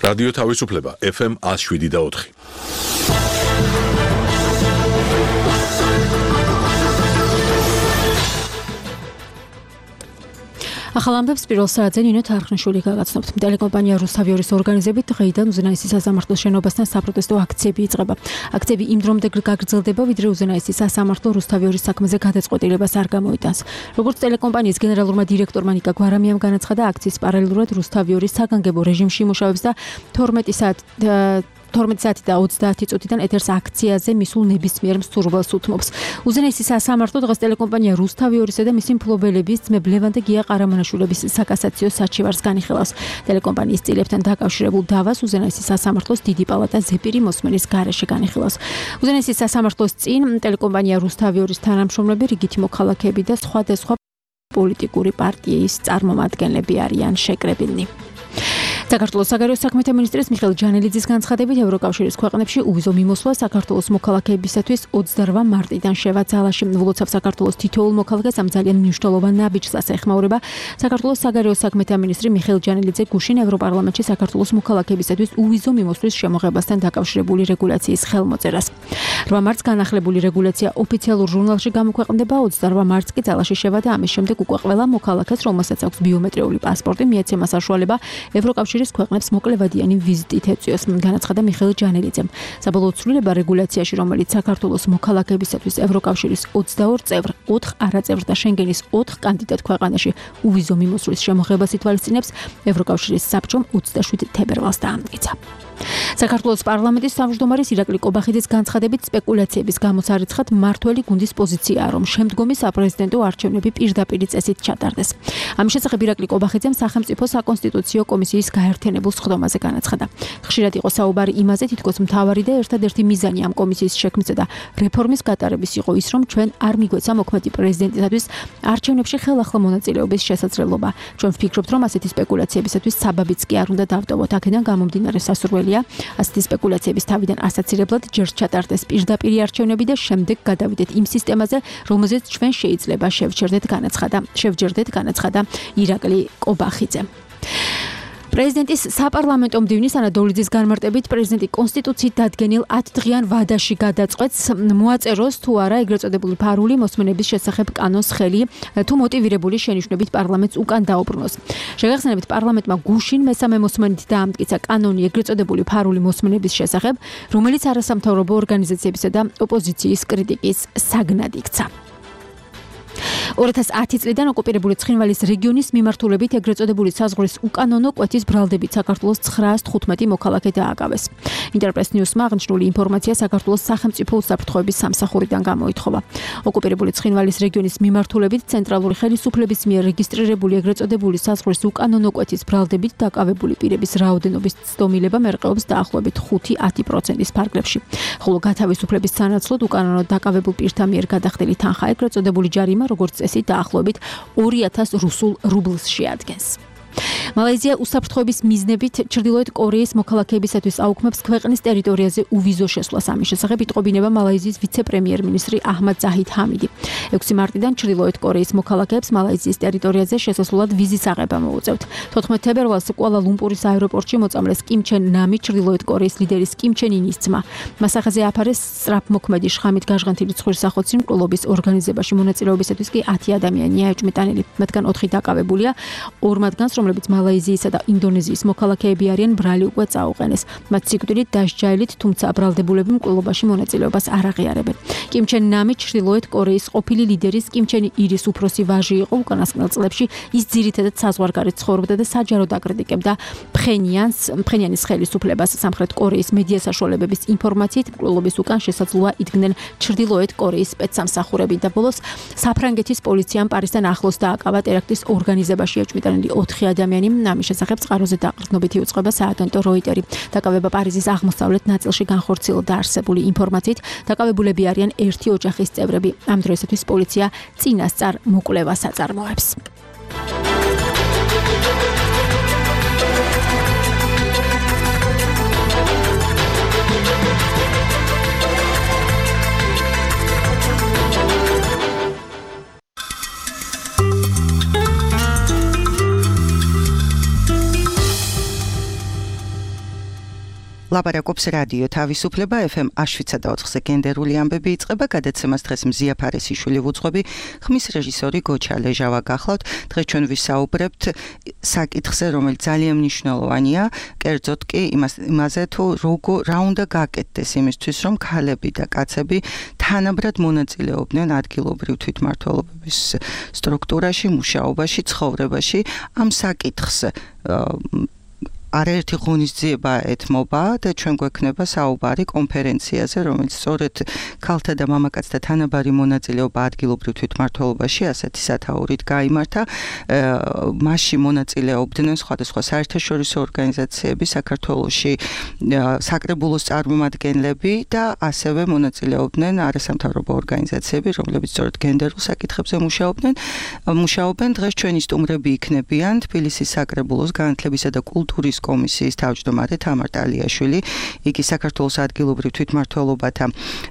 რადიო თავისუფლება FM 107.4. ახალ ამბებს პირველ საათზე ნინო თარხნიშვილი გაგაცნობთ. ტელეკომპანია რუსთავიორის ორგანიზებით დღეიდან უზენაესი სასამართლოს შენობასთან საპროტესტო აქციები იწყება. აქციები იმ დრომდე გაგრძელდება, ვიდრე უზენაესი სასამართლო რუსთავიორის საქმეზე გადაწყვეტილებას არ გამოიტანს. როგორც ტელეკომპანიის გენერალურმა დირექტორმა ნიკა გვარამიამ განაცხადა, აქციის პარალელურად რუსთავიორის საგანგებო რეჟიმში იმუშავებს და 12 საათი და 30 წუთიდან ეთერს აქციაზე მისულ ნებისმიერ მსურველს უთმობს. უზენაესი სასამართლო დღეს ტელეკომპანია რუსთავიორისა და მისი მფლობელების ძმებ ლევან და გია ყარამანაშვილების საკასაციო საჩივარს განიხილავს. ტელეკომპანიის წილებთან დაკავშირებულ დავას უზენაესი სასამართლოს დიდი პალატა ზეპირი მოსმენის გარეშე განიხილავს. უზენაესი სასამართლოს წინ ტელეკომპანია რუსთავიორის თანამშრომლები, რიგითი მოქალაქეები და სხვადასხვა პოლიტიკური პარტიის წარმომადგენლები არიან შეკრებილნი. საქართველოს საგარეო საქმეთა მინისტრის მიხეილ ჯანელიძის განცხადებით ევროკავშირის ქვეყნებში უვიზო მიმოსვლა საქართველოს მოქალაქეებისათვის 28 მარტიდან შევა ძალაში. ვლოცავ საქართველოს თითოეულ მოქალაქეს ამ ძალიან მნიშვნელოვან ნაბიჯს ეხმაურება საქართველოს საგარეო საქმეთა მინისტრი მიხეილ ჯანელიძე გუშინ ევროპარლამენტში საქართველოს მოქალაქეებისათვის უვიზო მიმოსვლის შემოღებასთან დაკავშირებული რეგულაციის ხელმოწერას. 8 მარტს განახლებული რეგულაცია ოფიციალურ ჟურნალში გამოქვეყნდება, 28 მარტს კი ძალაში შევა და ამის შემდეგ უკვე ყველა მოქალაქეს, რომელსაც აქვს ბიომეტრიული პასპორტი, მიეცემა საშუალება ევროკავშირის ქვეყნებს მოკლევადიანი ვიზიტით ეწვიოს, განაცხადა მიხეილ ჯანელიძემ. საბოლოო ცვლილება რეგულაციაში, რომელიც საქართველოს მოქალაქეებისათვის ევროკავშირის 22 წევრ, 4 არაწევრ და შენგენის 4 კანდიდატ ქვეყანაში უვიზო მიმოსვლის შემოღებას ითვალისწინებს, ევროკავშირის საბჭომ 27 თებერვალს დაამტკიცა. საქართველოს პარლამენტის თავმჯდომარის ირაკლი კობახიძის განცხადებით სპეკულაციების გამოსარიცხად მმართველი გუნდის პოზიციაა, რომ შემდგომი საპრეზიდენტო არჩევნები პირდაპირ წესით ჩატარდეს. ამის შესახებ ირაკლი კობახიძემ სახელმწიფო საკონსტიტუციო კომისიის გაერთიანებულ სხდომაზე განაცხადა. ხშირად იყო საუბარი იმაზე, თითქოს მთავარი და ერთადერთი მიზანი ამ კომისიის შექმნისა და რეფორმის გატარების იყო ის, რომ ჩვენ არ მიგვეცა მოქმედი პრეზიდენტისათვის არჩევნებში ხელახლა მონაწილეობის შესაძლებლობა. ჩვენ ვფიქრობთ, რომ ასეთი სპეკულაციებისათვის საბაბიც კი არ უნდა დავტოვოთ. აქედან გამომდინარე სასურველია ასეთი სპეკულაციების თავიდან ასაცილებლად ჯერ ჩატარდეს პირდაპირი არჩევნები და შემდეგ გადავიდეთ იმ სისტემაზე, რომელზეც ჩვენ შეიძლება შევჯერდეთ, განაცხადა ირაკლი კობახიძემ. პრეზიდენტის საპარლამენტო მდივნის ანა დოლიძის განმარტებით პრეზიდენტი კონსტიტუციით დადგენილ 10 დღიან ვადაში გადაწყვეტს მოაწეროს თუ არა ეგრეთ წოდებული ფარული მოსმენების შესახებ კანონს ხელი, თუ მოტივირებული შენიშვნებით პარლამენტს უკან დაუბრუნოს. შეგახსენებთ, პარლამენტმა გუშინ მესამე მოსმენით დაამტკიცა კანონი ეგრეთ წოდებული ფარული მოსმენების შესახებ, რომელიც არასამთავრობო ორგანიზაციებისა და ოპოზიციის კრიტიკის საგნად იქცა. 2010 წლიდან ოკუპირებული ცხინვალის რეგიონის მიმართულებით ეგრეთ წოდებული საზღვრის უკანონო კვეთის ბრალდებით საქართველოს 915 მოქალაქე დააკავეს. ინტერპრეს ნიუსმა აღნიშნული ინფორმაცია საქართველოს სახელმწიფო უსაფრთხოების სამსახურიდან გამოითხოვა. ოკუპირებული ცხინვალის რეგიონის მიმართულებით ცენტრალური ხელისუფლების მიერ რეგისტრირებული ეგრეთ წოდებული საზღვრის უკანონო კვეთის ბრალდებით დაკავებული პირების რაოდენობის ცდომილება მერყეობს დაახლოებით 5-10% ფარგლებში. ხოლო გათავისუფლების სანაცვლოდ უკანონო დაკავებულ პირთა მიერ გადახდილი თანხა ეგრეთ წოდებული ჯარიმა როგორც წესი დაახლოებით 2000 რუსულ რუბლს შეადგენს. მალაიზია უსაფრთხოების მიზნებით ჩრდილოეთ კორეის მოქალაქეებისათვის აუქმებს ქვეყნის ტერიტორიაზე უვიზო შესვლას. ამის შესახებ იტყობინება მალაიზიის ვიცე-პრემიერ-მინისტრი აჰმად ზაჰიდ ჰამიდი. 6 მარტიდან ჩრდილოეთ კორეის მოქალაქეებს მალაიზიის ტერიტორიაზე შესასვლელად ვიზის აღება მოუწევთ. 14 თებერვალს კუალა-ლუმპურის აეროპორტში მოწამლეს კიმ ჩენ ნამი, ჩრდილოეთ კორეის ლიდერის კიმ ჩენ ინის ძმა. მასახაზე აფარეს სწრაფმოქმედი შხამით გაჟღენთილი ცხვირსახოცი მკვლობის ორგანიზებაში მონაწილეობისათვის კი 10 ადამიანია ეჭვმიტანილი. მათგან 4 დაკავებულია, 2 მათგანს, რომლებიც მალაიზიისა და ინდონეზიის მოქალაქეები არიან, ბრალი უკვე წაუყენეს. მათ სიკვდილით დასჯაილით, თუმცა ბრალდებულები მკვლობაში მონაწილეობას არ აღიარებენ. კიმ ჩენ ნამი ჩრდილოეთ კორეის ყოფილი ლიდერის კიმ ჩენ ირის უფროსი ვაჟი იყო. უკანასკნელ წლებში ის ძირითადად საზღვარგარეთ ცხოვრობდა და საჯაროდ აკრიტიკებდა ფხენიანის ხელისუფლებას. სამხრეთ კორეის მედია საშუალებების ინფორმაციით, მკვლობის უკან შესაძლოა იდგნენ ჩრდილოეთ კორეის სპეცსამსახურები და ბოლოს საფრანგეთის პოლიციამ პარიზთან ახლოს დააკავა ტერაქტის ორგანიზებაში ეჭვმიტანილი 4 ადამიანი. ამის შესახებ წყაროზე დაყრდნობითი უწყება სააგენტო როიტერი. დაკავება პარიზის აღმოსავლეთ ნაწილში განხორციელდა არსებული ინფორმაციით. დაკავებულები არიან ერთი ოჯახის წევრები. ამ დროისათვის პოლიცია წინასწარ მოკვლევას აწარმოებს. ლაპარაკობს რადიო თავისუფლება FM 107.4-ზე გენდერული ამბები იწყება, გადაცემას დღეს მზია ფარესიშვილი ვუძღვები, ხმის რეჟისორი გოჩა ლეჟავა გახლავთ. დღეს ჩვენ ვისაუბრებთ საკითხზე, რომელიც ძალიან მნიშვნელოვანია, კერძოდ კი იმაზე თუ რა უნდა გაკეთდეს იმისთვის, რომ ქალები და კაცები თანაბრად მონაწილეობდნენ ადგილობრივ თვითმმართველობების სტრუქტურაში, მუშაობაში, ცხოვრებაში. ამ საკითხს არაერთი ღონისძიება ეთმობა და ჩვენ გვექნება საუბარი კონფერენციაზე, რომელიც სწორედ ქალთა და მამაკაცთა თანაბარი მონაწილეობა ადგილობრივ თვითმმართველობაში ასეთი სათაურით გაიმართა. მასში მონაწილეობდნენ სხვადასხვა საერთაშორისო ორგანიზაციები, საქართველოში საკრებულოს წარმომადგენლები და ასევე მონაწილეობდნენ არასამთავრობო ორგანიზაციები, რომლებიც სწორედ გენდერულ საკითხებზე მუშაობენ. დღეს ჩვენი სტუმრები იქნებიან თბილისის საკრებულოს განათლებისა და კულტურის კომისიის თავმჯდომარე თამარ ტალიაშვილი, იგი საქართველოს ადგილობრივ თვითმმართველობათა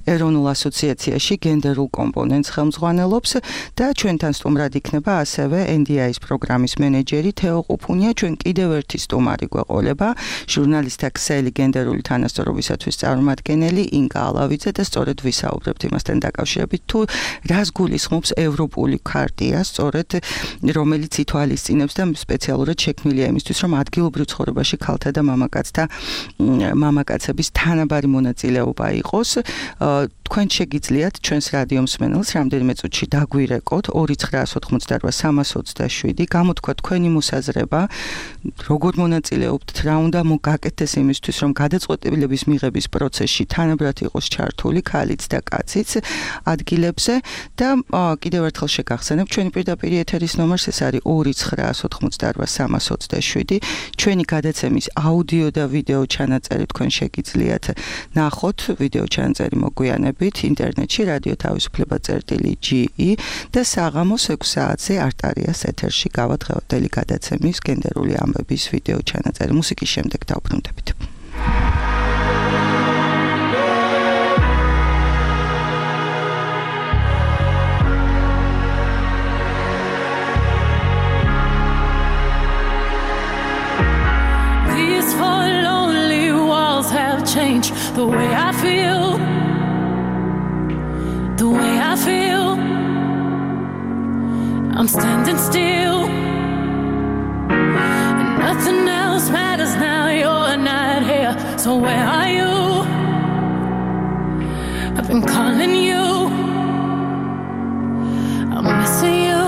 ეროვნულ ასოციაციაში გენდერულ კომპონენტს ხელმძღვანელობს და ჩვენთან სტუმრად იქნება ასევე NDI-ის პროგრამის მენეჯერი თეო ყუფუნია. ჩვენ კიდევ ერთი სტუმარი გვეყოლება, ჟურნალისტთა ქსელი გენდერული თანასწორობისათვის წარმომადგენელი ინგა ალავიძე და სწორედ ვისაუბრებთ იმასთან დაკავშირებით, თუ რას გულისხმობს ევროპული ქარტია, სწორედ რომელიც ითვალისწინებს და სპეციალურად შექმნილია იმისთვის, რომ ადგილობრივ ცხოვრებაში ქალთა და მამაკაცების თანაბარი მონაწილეობა იყოს. თქვენ შეგიძლიათ ჩვენს რადიო მსმენელს რამდენიმე წუთში დაგვირეკოთ 2988327 გამოთქვა თქვენი მოსაზრება, როგორ მონაწილეობთ, რა უნდა მოგაკეთდეს იმისთვის, რომ გადაწყვეტილების მიღების პროცესში თანაბრად იყოს ჩართული ქალიც და კაციც ადგილებზე და კიდევ ერთხელ შეგახსენებ ჩვენი პირდაპირ ეთერის ნომერს, ეს არის 2988327. ჩვენი გადაცემის აუდიო და ვიდეო ჩანაწერი თქვენ შეგიძლიათ ნახოთ, ვიდეო ჩანაწერი მოგვიანებით ინტერნეტში რადიო თავისუფლება.ge და საღამოს 6 საათზე არტარიას ეთერში გავა დღევანდელი გადაცემის გენდერული ამბების ვიდეო ჩანაწერი. მუსიკის შემდეგ დავბრუნდებით. Change the way I feel, the way I feel. I'm standing still, and nothing else matters now. You're not here, so where are you? I've been calling you, I'm missing you.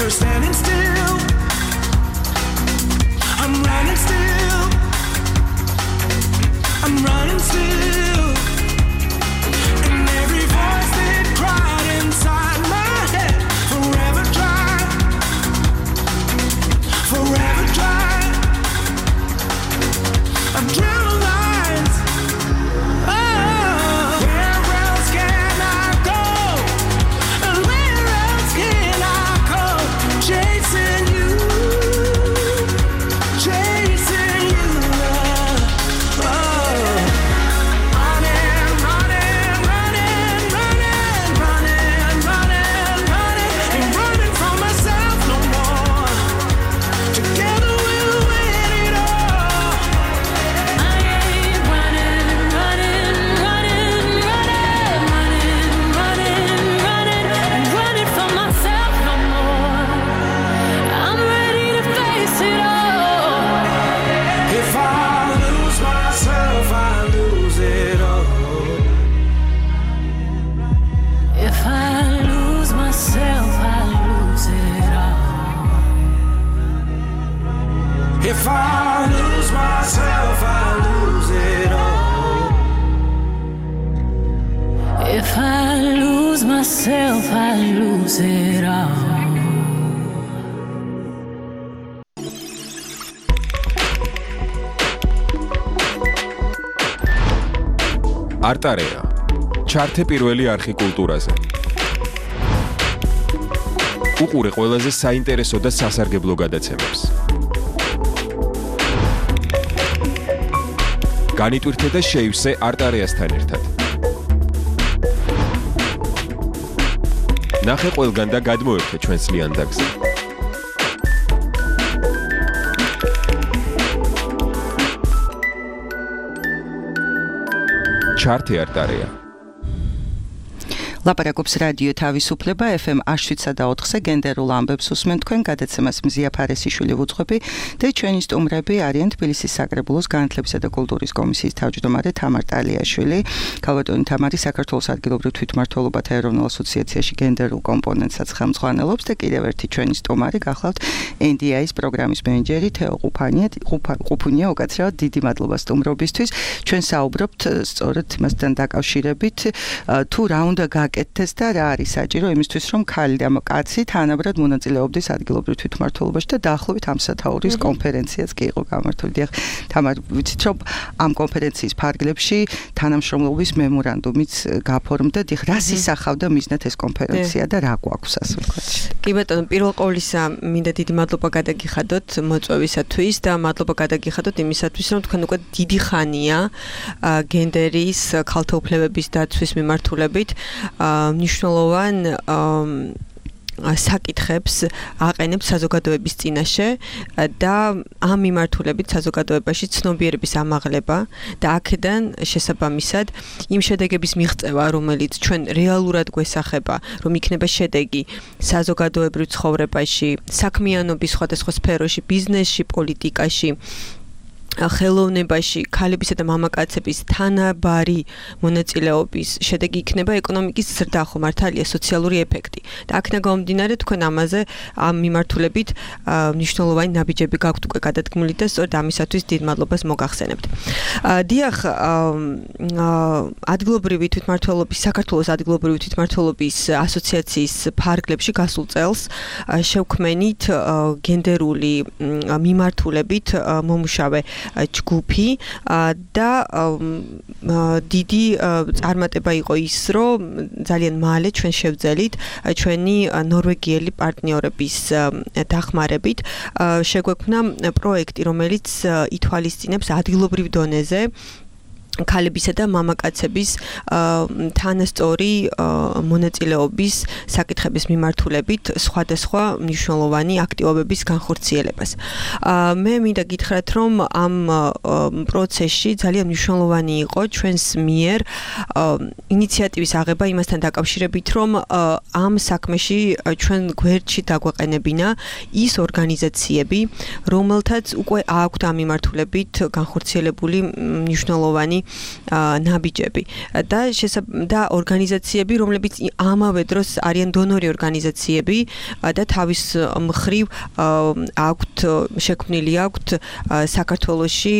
They're standing still. I'm running still. I'm running still. And every voice that cried inside my head, forever dry, forever dry. I'm drawing lines. I myself, I lose it all. არტარეა. ჩართე პირველი არხი კულტურაზე. უყურე ყველაზე საინტერესო და სასარგებლო გადაცემებს. განიტვირთე და შეივსე არტარეასთან ერთად. ნახე ყველგან და გადმოერთე ჩვენს ლიანდაგზე. ჩართე არტარეა. ლაპარაკობს რადიო თავისუფლება FM 107.4-ზე გენდერულ ამბებს უსმენ თქვენ გადაცემას მზია ფარესიშვილი ვუძღვები და ჩვენი სტუმრები არიან თბილისის საკრებულოს განათლებისა და კულტურის კომისიის თავმჯდომარე თამარ ტალიაშვილი, ქალბატონი თამარი საქართველოს ადგილობრივ თვითმმართველობათა ეროვნულ ასოციაციაში გენდერულ კომპონენტსაც ხელმძღვანელობს და კიდევ ერთი ჩვენი სტუმარი გახლავთ NDI-ის პროგრამის მენეჯერი თეო ყუფუნია, უკაცრავად დიდი მადლობა სტუმრობისთვის. ჩვენ საუბრობთ სწორედ მასთან დაკავშირებით თუ რა უნდა აკეთდეს და რა არის საჭირო იმისთვის რომ ქალი და კაცი თანაბრად მონაწილეობდეს ადგილობრივ თვითმმართველობაში და დაახლოებით ამ სათაურის კონფერენციაც კი იყო გამართული. დიახ, თამარ, ვიცით რომ ამ კონფერენციის ფარგლებში თანამშრომლობის მემორანდუმიც გაფორმდა. დიახ, რას ისახავდა მიზნად ეს კონფერენცია და რა გვაქვს ასე ვთქვათ. კი ბატონო, პირველ ყოვლისა მინდა დიდი მადლობა გადაგიხადოთ მოწვევისათვის და მადლობა გადაგიხადოთ იმისათვის რომ თქვენ უკვე დიდი ხანია გენდერის ქალთა უფლებების დაცვის მიმართულებით მნიშვნელოვან საკითხებს აყენებს საზოგადოების წინაშე და ამ მიმართულებით საზოგადოებაში ცნობიერების ამაღლება და აქედან შესაბამისად იმ შედეგების მიღწევა, რომელიც ჩვენ რეალურად გვესახება, რომ იქნება შედეგი საზოგადოებრივ ცხოვრებაში, საქმიანობის სხვადასხვა სფეროში, ბიზნესში, პოლიტიკაში, ხელოვნებაში, ქალებისა და მამაკაცების თანაბარი მონაწილეობის შედეგი იქნება ეკონომიკის ზრდა, ხო მართალია, სოციალური ეფექტი. და აქედან გამომდინარე თქვენ ამაზე ამ მიმართულებით მნიშვნელოვანი ნაბიჯები გაქვთ უკვე გადადგმული და სწორედ ამისათვის დიდ მადლობას მოგახსენებთ. დიახ, ადგილობრივი თვითმმართველობის საქართველოს ადგილობრივი თვითმმართველობის ასოციაციის ფარგლებში გასულ წელს შევქმენით გენდერული მიმართულებით მომუშავე ჯგუფი და დიდი წარმატება იყო ის, რომ ძალიან მალე ჩვენ შევძელით ჩვენი ნორვეგიელი პარტნიორების დახმარებით შეგვექმნა პროექტი, რომელიც ითვალისწინებს ადგილობრივ დონეზე ქალებისა და მამაკაცების თანასწორი მონაწილეობის საკითხების მიმართულებით სხვადასხვა მნიშვნელოვანი აქტივობების განხორციელებას. მე მინდა გითხრათ, რომ ამ პროცესში ძალიან მნიშვნელოვანი იყო ჩვენს მიერ ინიციატივის აღება იმასთან დაკავშირებით, რომ ამ საქმეში ჩვენ გვერდში დაგვეყენებინა ის ორგანიზაციები, რომელთაც უკვე აქვთ ამ მიმართულებით განხორციელებული მნიშვნელოვანი ნაბიჯები და ორგანიზაციები, რომლებიც ამავე დროს არიან დონორი ორგანიზაციები და თავის მხრივ აქვთ შექმნილი აქვთ საქართველოში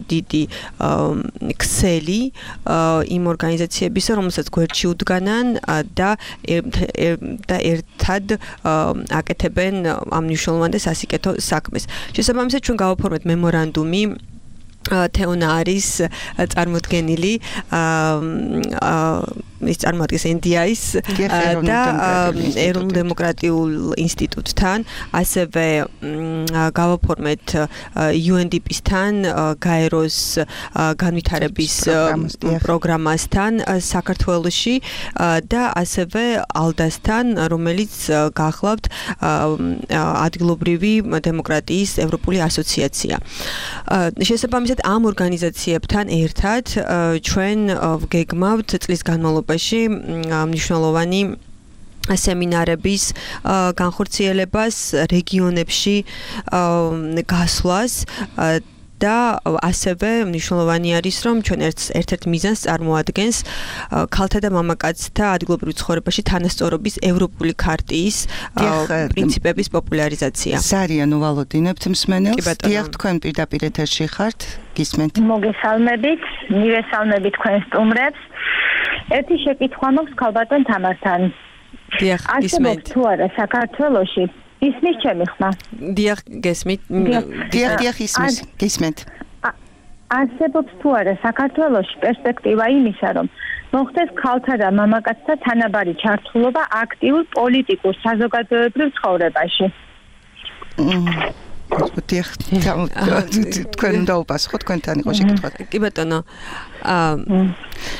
დიდი ქსელი იმ ორგანიზაციებისა, რომელსაც გვერდში უდგანან და ერთად აკეთებენ ამ მნიშვნელოვან და სასიკეთო საქმეს. შესაბამისად ჩვენ გავაფორმეთ მემორანდუმი თეონა არის წარმოდგენილი ის წარმოადგენს NDI-ს და ეროვნულ დემოკრატიულ ინსტიტუტთან, ასევე გავაფორმეთ UNDP-სთან, გაეროს განვითარების პროგრამასთან საქართველოში და ასევე ALDA-სთან, რომელიც გახლავთ ადგილობრივი დემოკრატიის ევროპული ასოციაცია. შესაბამისად ამ ორგანიზაციებთან ერთად ჩვენ ვგეგმავთ წლის განმავლობაში მნიშვნელოვანი სემინარების განხორციელებას, რეგიონებში გასვლას და ასევე მნიშვნელოვანი არის, რომ ჩვენ ერთ-ერთ მიზანს წარმოადგენს ქალთა და მამაკაცთა ადგილობრივ ცხოვრებაში თანასწორობის ევროპული ქარტიის პრინციპების პოპულარიზაცია. სარია ნუვალოდინებთ მსმენელს. დიახ, თქვენ პირდაპირ ეთერში ხართ, გისმენთ. მოგესალმებით, მივესალმებით თქვენ სტუმრებს. ერთი შეკითხვა მაქვს ქალბატონ თამართან. დიახ, არსებობს თუ არა საქართველოში ისმის ჩემი ხმა? დიახ, გესმით. დიახ, ისმის, გისმენთ. არსებობს თუ არა საქართველოში პერსპექტივა იმისა, რომ მოხდეს ქალთა და მამაკაცთა თანაბარი ჩართულობა აქტიურ პოლიტიკურ საზოგადოებრივ ცხოვრებაში? დიახ, თქვენ უნდა უპასუხოთ, თქვენთან იყო შეკითხვა. კი ბატონო.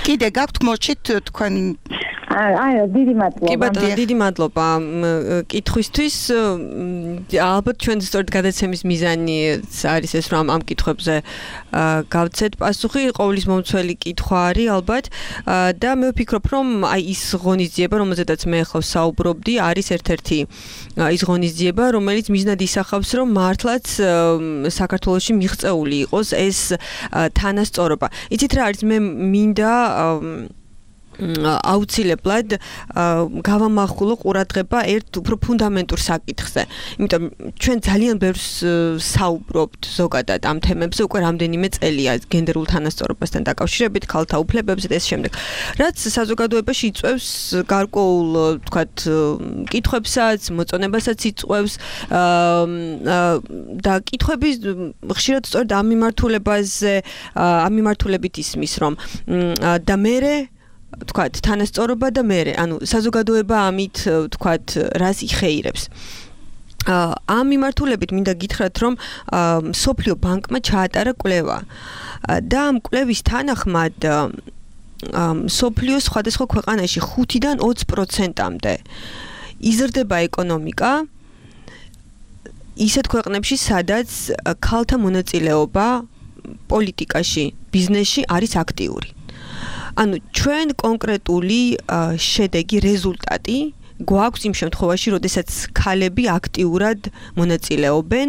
კიდე გაქვთ მორჩით თქვენ დიდი მადლობა. კი ბატონო, დიდი მადლობა კითხვისთვის. ალბათ ჩვენ სწორედ გადაცემის მიზანი არის ეს, რომ ამ კითხვებზე გავცეთ პასუხი. ყოვლის მომცველი კითხვა არის ალბათ და მე ვფიქრობ, რომ აი ის ღონისძიება, რომელზედაც მე ახლა საუბრობდი, არის ერთ-ერთი ის ღონისძიება, რომელიც მიზნად ისახავს, რომ მართლაც საქართველოში მიღწეული იყოს ეს თანასწორობა. იცით რა არის, მე მინდა აუცილებლად გავამახვილო ყურადღება ერთ უფრო ფუნდამენტურ საკითხზე. იმიტომ ჩვენ ძალიან ბევრს საუბრობთ ზოგადად ამ თემებზე უკვე რამდენიმე წელია გენდერულ თანასწორობასთან დაკავშირებით, ქალთა უფლებებზე და ეს შემდეგ. რაც საზოგადოებაში იწვევს გარკვეულ, თქვათ, კითხვებსაც, მოწონებასაც იწვევს და კითხვები ხშირად სწორედ ამ მიმართულებით ისმის, რომ და მერე თქვათ თანასწორობა და მერე, ანუ საზოგადოება ამით თქვათ რას იხეირებს. ამ მიმართულებით მინდა გითხრათ, რომ სოფლიო ბანკმა ჩაატარა კვლევა და ამ კვლევის თანახმად სოფლიოს სხვადასხვა ქვეყანაში 5-დან 20%-მდე იზრდება ეკონომიკა ისეთ ქვეყნებში, სადაც ქალთა მონაწილეობა პოლიტიკაში, ბიზნესში არის აქტიური. ანუ ჩვენ კონკრეტული შედეგი, რეზულტატი გვაქვს იმ შემთხვევაში, როდესაც ქალები აქტიურად მონაწილეობენ,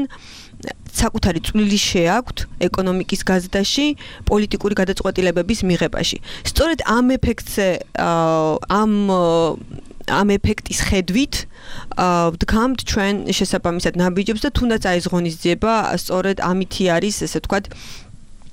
საკუთარი წვლილი შეაქვთ ეკონომიკის გაზრდაში, პოლიტიკური გადაწყვეტილებების მიღებაში. სწორედ ამ ეფექტზე ამ ეფექტის ხედვით ვდგამთ ჩვენ შესაბამისად ნაბიჯებს და თუნდაც აი ეს ღონისძიება სწორედ ამითი არის, ესე ვთქვათ,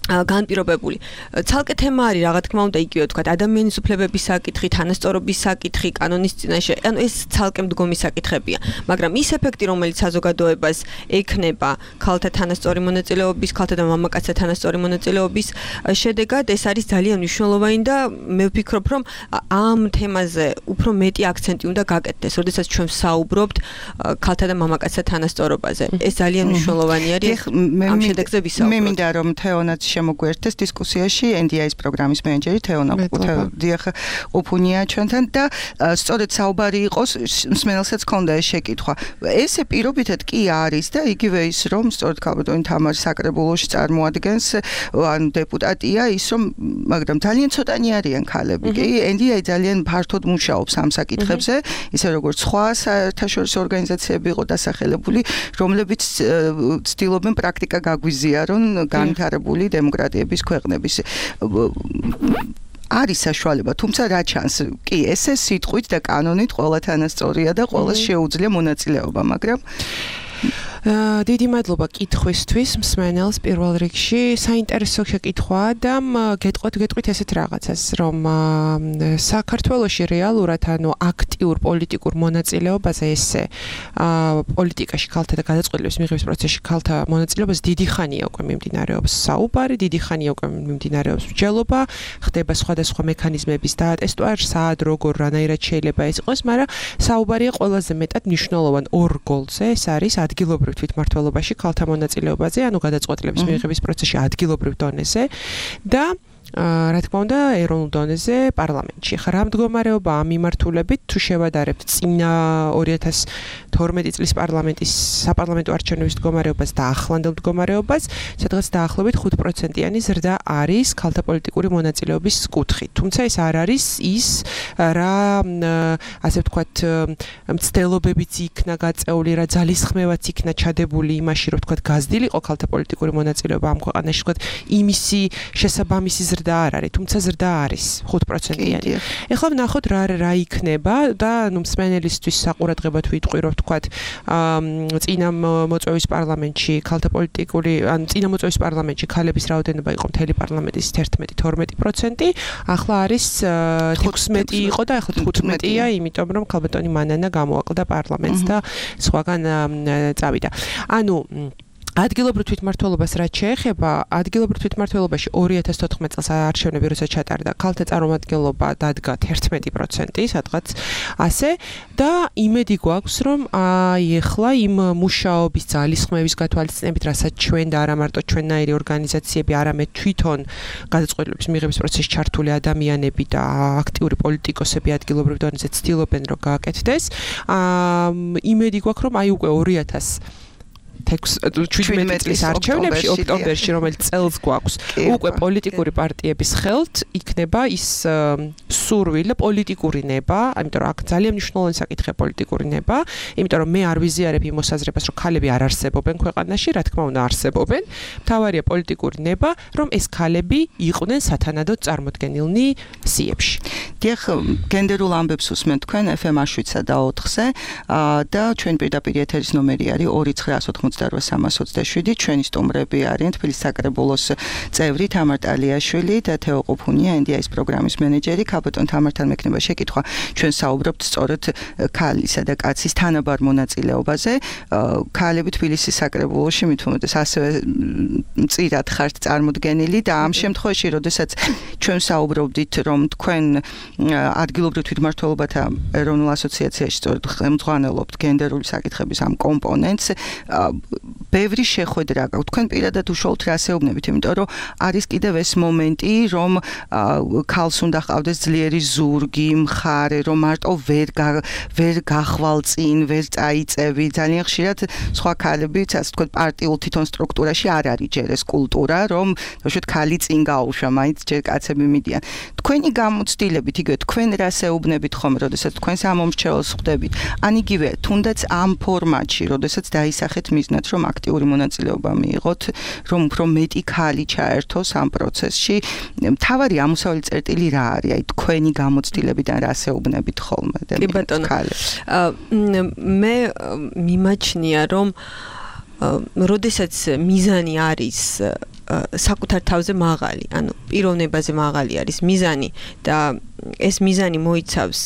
განპირობებული. ცალკე თემა არის, რა თქმა უნდა, იგივე ვთქვათ, ადამიანის უფლებების საკითხი, თანასწორობის საკითხი, კანონის წინაშე, ანუ ეს ცალკე მდგომი საკითხებია. მაგრამ ის ეფექტი, რომელიც საზოგადოებას ექნება ქალთა თანასწორი მონაწილეობის, ქალთა და მამაკაცთა თანასწორი მონაწილეობის შედეგად, ეს არის ძალიან მნიშვნელოვანი და მე ვფიქრობ, რომ ამ თემაზე უფრო მეტი აქცენტი უნდა გაკეთდეს, როდესაც ჩვენ საუბრობთ ქალთა და მამაკაცთა თანასწორობაზე. ეს ძალიან მნიშვნელოვანი არის. ამ შედეგზე ვისაუბროთ. მე მინდა რომ თეონაც შემოგვერთეს დისკუსიაში NDI-ის პროგრამის მენეჯერი თეონა ყოფუნია ჩვენთან და სწორედ საუბარი იყოს, მსმენელსაც ჰქონდა ეს შეკითხვა. ესე პირობითად კი არის და იგივე ის, რომ სწორედ ქალბატონი თამარი საკრებულოში წარმოადგენს, ანუ დეპუტატია, ის რომ მაგრამ ძალიან ცოტანი არიან ქალები. კი, NDI ძალიან ფართოდ მუშაობს ამ საკითხებზე, ისე როგორც სხვა საერთაშორისო ორგანიზაციები იყო დასახელებული, რომლებიც ცდილობენ პრაქტიკა გაგვიზიარონ განვითარებული დემოკრატიების ქვეყნების არის საშუალება, თუმცა რა ჩანს, კი, ესე სიტყვით და კანონით ყველა თანასწორია და ყველას შეუძლია მონაწილეობა, მაგრამ დიდი მადლობა კითხვისთვის მსმენელს პირველ რიგში. საინტერესო შეკითხვაა და გეტყვით ესეთ რაღაცას, რომ საქართველოში რეალურად ანუ აქტიურ პოლიტიკურ მონაწილეობაზე ესე პოლიტიკაში ქალთა და გადაწყვეტილების მიღების პროცესში ქალთა მონაწილეობას დიდი ხანია უკვე მიმდინარეობს საუბარი, დიდი ხანია უკვე მიმდინარეობს მსჯელობა, ხდება სხვადასხვა მექანიზმების დატესტვა, სად როგორ რანაირად შეიძლება ეს იყოს, მაგრამ საუბარია ყველაზე მეტად მნიშვნელოვან ორ გოლზე, ეს არის ადგილობრივ თვითმმართველობაში ქალთა მონაწილეობაზე, ანუ გადაწყვეტილების მიღების პროცესში ადგილობრივ დონეზე და რა თქმა უნდა, ეროვნულ დონეზე პარლამენტში. ხა რა მდგომარეობა ამ მიმართულებით თუ შევადარებთ წინა 2012 წლის პარლამენტის საპარლამენტო არჩევნების მდგომარეობას და ახლანდელ მდგომარეობას, სადღაც დაახლოებით 5%-იანი ზრდა არის ქალთა პოლიტიკური მონაწილეობის კუთხით. თუმცა ეს არ არის ის, რა ასე ვთქვათ, მცდელობებიც იქნა გაწეული, რა ძალისხმევაც იქნა ჩადებული იმაში, რომ ვთქვათ, გაზრდილიყო ქალთა პოლიტიკური მონაწილეობა ამ ქვეყანაში, ვთქვათ, იმისი შესაბამისი ზრდა ზრდა არ არის, თუმცა ზრდა არის 5%-იანი. ეხლა ვნახოთ რა იქნება და მსმენელისთვის საყურადღებოდ ვიტყვი, რომ ვთქვათ, წინა მოწვევის პარლამენტში ქალთა პოლიტიკური, ან წინა მოწვევის პარლამენტში ქალების რაოდენობა იყო მთელი პარლამენტის 11-12%, ახლა არის 16 იყო და ახლა 15-ია, იმიტომ რომ ქალბატონი მანანა გამოაკლდა პარლამენტს და სხვაგან წავიდა. ანუ ადგილობრივ თვითმმართველობას რაც შეეხება, ადგილობრივ თვითმმართველობაში 2014 წელს არჩევნები როცა ჩატარდა, ქალთა წარმომადგენლობა დადგა 11%, სადღაც ასე და იმედი გვაქვს, რომ ეხლა იმ მუშაობის ძალისხმევის გათვალისწინებით, რასაც ჩვენ და არა მარტო ჩვენნაირი ორგანიზაციები, არამედ თვითონ გადაწყვეტილების მიღების პროცესში ჩართული ადამიანები და აქტიური პოლიტიკოსები ადგილობრივ დონეზე ცდილობენ, რომ გააკეთდეს. იმედი გვაქვს, რომ უკვე 2017 წლის არჩევნებში ოქტომბერში, რომელიც წელს გვაქვს, უკვე პოლიტიკური პარტიების ხელთ იქნება ის სურვილი პოლიტიკური ნება, იმიტომ რომ აქ ძალიან მნიშვნელოვანი საკითხია პოლიტიკური ნება, იმიტომ რომ მე არ ვიზიარებ იმ მოსაზრებას, რომ ქალები არ არსებობენ ქვეყანაში, რა თქმა უნდა არსებობენ. მთავარია პოლიტიკური ნება, რომ ეს ქალები იყვნენ სათანადოდ წარმოდგენილნი სიებში. დიახ, გენდერულ ამბებს უსმენთ თქვენ FM 7-სა და 4-ზე და ჩვენ პირდაპირ ეთერის ნომერი არის 2988327. ჩვენი სტუმრები არიან თბილისის საკრებულოს წევრი თამარ ტალიაშვილი და თეო ყუფუნია, NDI-ის პროგრამის მენეჯერი. ქალბატონ თამართან მექნება შეკითხვა. ჩვენ საუბრობთ სწორედ ქალისა და კაცის თანაბარ მონაწილეობაზე. ქალები თბილისის საკრებულოში მით უმეტეს ასევე მწირად ხართ წარმოდგენილი და ამ შემთხვევაში, როდესაც ჩვენ საუბრობდით, რომ თქვენ ადგილობრივ თვითმმართველობათა ეროვნულ ასოციაციაში სწორედ ხელმძღვანელობთ გენდერული საკითხების ამ კომპონენტს, ბევრი შეხვედრა გაქვთ. თქვენ პირადად უშუალოდ რას ეუბნებით, იმიტომ რომ არის კიდევ ეს მომენტი, რომ ქალს უნდა ჰყავდეს ძლიერი ზურგი, მხარე, რომ მარტო ვერ გახვალ წინ, ვერ წაიწევი. ძალიან ხშირად სხვა ქალები, ასე ვთქვათ, პარტიულ თვითონ სტრუქტურაში არ არის ჯერ ეს კულტურა, რომ თქო ქალი წინ გაუშვა, მაინც ჯერ კაცები მიდიან. თქვენი გამოცდილებით, იგივე თქვენ რას ეუბნებით ხომ, როდესაც თქვენ სამომრჩეველს ხვდებით, ან იგივე თუნდაც ამ ფორმატში, როდესაც დაისახეთ მიზნად, რომ აქტიური მონაწილეობა მიიღოთ, რომ უფრო მეტი ქალი ჩაერთოს ამ პროცესში. მთავარი ამოსავალი წერტილი რა არის? აი თქვენი გამოცდილებიდან რას ეუბნებით ხოლმე? კი ბატონო. მე მიმაჩნია, რომ როდესაც მიზანი არის საკუთარ თავზე მაღალი, ანუ პიროვნებაზე მაღალი არის მიზანი და ეს მიზანი მოიცავს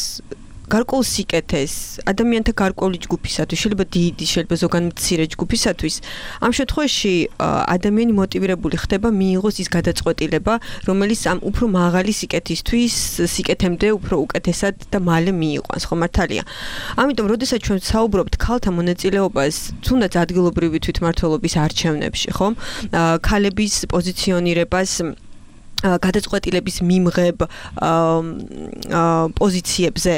გარკვეულ სიკეთეს, ადამიანთა გარკვეული ჯგუფისათვის, შეიძლება დიდი, შეიძლება ზოგან მცირე ჯგუფისათვის, ამ შემთხვევაში ადამიანი მოტივირებული ხდება მიიღოს ის გადაწყვეტილება, რომელიც ამ უფრო მაღალი სიკეთისთვის, სიკეთემდე უფრო უკეთესად და მალე მიიყვანს, ხო მართალია. ამიტომ, როდესაც ჩვენ საუბრობთ ქალთა მონაწილეობას, თუნდაც ადგილობრივი თვითმმართველობის არჩევნებში, ხო? ქალების პოზიციონირებას გადაწყვეტილების მიმღებ პოზიციებზე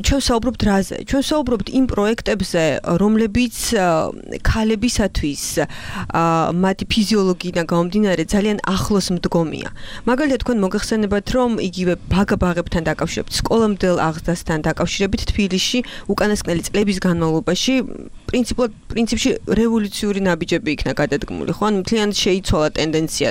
ჩვენ საუბრობთ რაზე? ჩვენ საუბრობთ იმ პროექტებზე, რომლებიც ქალებისათვის მათი ფიზიოლოგიიდან გამომდინარე ძალიან ახლოს მდგომია. მაგალითად, თქვენ მოგეხსენებათ, რომ იგივე ბაღებთან დაკავშირებით, სკოლამდელ აღზრდასთან დაკავშირებით თბილისში უკანასკნელი წლების განმავლობაში პრინციპში რევოლუციური ნაბიჯები იქნა გადადგმული, ხო? ანუ მთლიანად შეიცვალა ტენდენცია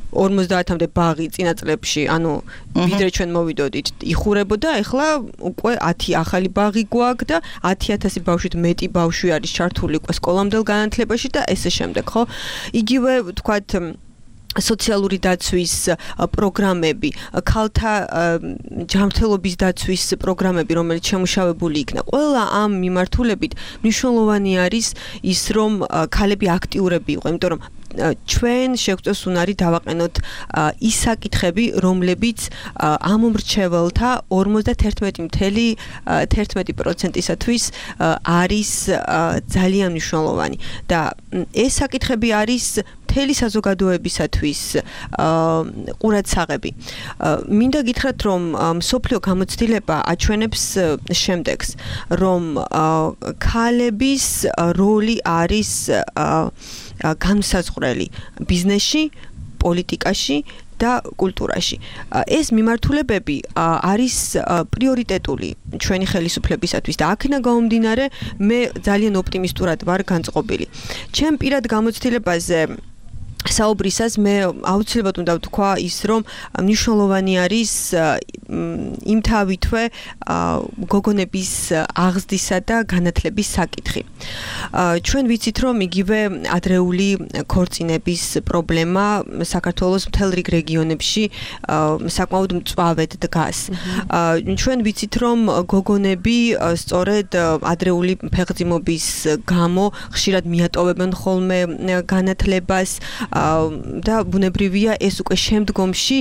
50-მდე ბაღი წინა წლებში, ანუ ვიდრე ჩვენ მოვიდოდით, იხურებოდა, ეხლა უკვე 10 ახალი ბაღი გვაქვს და 10,000 ბავშვით მეტი ბავშვი არის ჩართული უკვე სკოლამდელ განათლებაში და ესე შემდეგ, ხო? იგივე ვთქვათ სოციალური დაცვის პროგრამები, ქალთა ჯანმრთელობის დაცვის პროგრამები, რომელიც შემუშავებული იქნა. ყველა ამ მიმართულებით მნიშვნელოვანი არის ის, რომ ქალები აქტიურები იყვნენ, იმიტომ რომ ჩვენ შეგვწევს უნარი დავაყენოთ ის საკითხები, რომლებიც ამომრჩეველთა 51.11%-ისათვის არის ძალიან მნიშვნელოვანი და ეს საკითხები არის მთელი საზოგადოებისათვის ყურადსაღები. მინდა გითხრათ, რომ მსოფლიო გამოცდილება აჩვენებს შემდეგს, რომ ქალების როლი არის განსაზღვრელი ბიზნესში, პოლიტიკაში და კულტურაში. ეს მიმართულებები არის პრიორიტეტული ჩვენი ხელისუფლებისათვის და აქედან გამომდინარე მე ძალიან ოპტიმისტურად ვარ განწყობილი. ჩემ პირად გამოცდილებაზე საუბრისას მე აუცილებლად უნდა ვთქვა ის რომ მნიშვნელოვანი არის იმ თავითვე გოგონების აღზრდისა და განათლების საკითხი. ჩვენ ვიცით რომ იგივე ადრეული ქორწინების პრობლემა საქართველოს მთელ რიგ რეგიონებში საკმაოდ მწვავედ დგას. ჩვენ ვიცით რომ გოგონები სწორედ ადრეული ფეხმძიმობის გამო ხშირად მიატოვებენ ხოლმე განათლებას და ბუნებრივია ეს უკვე შემდგომში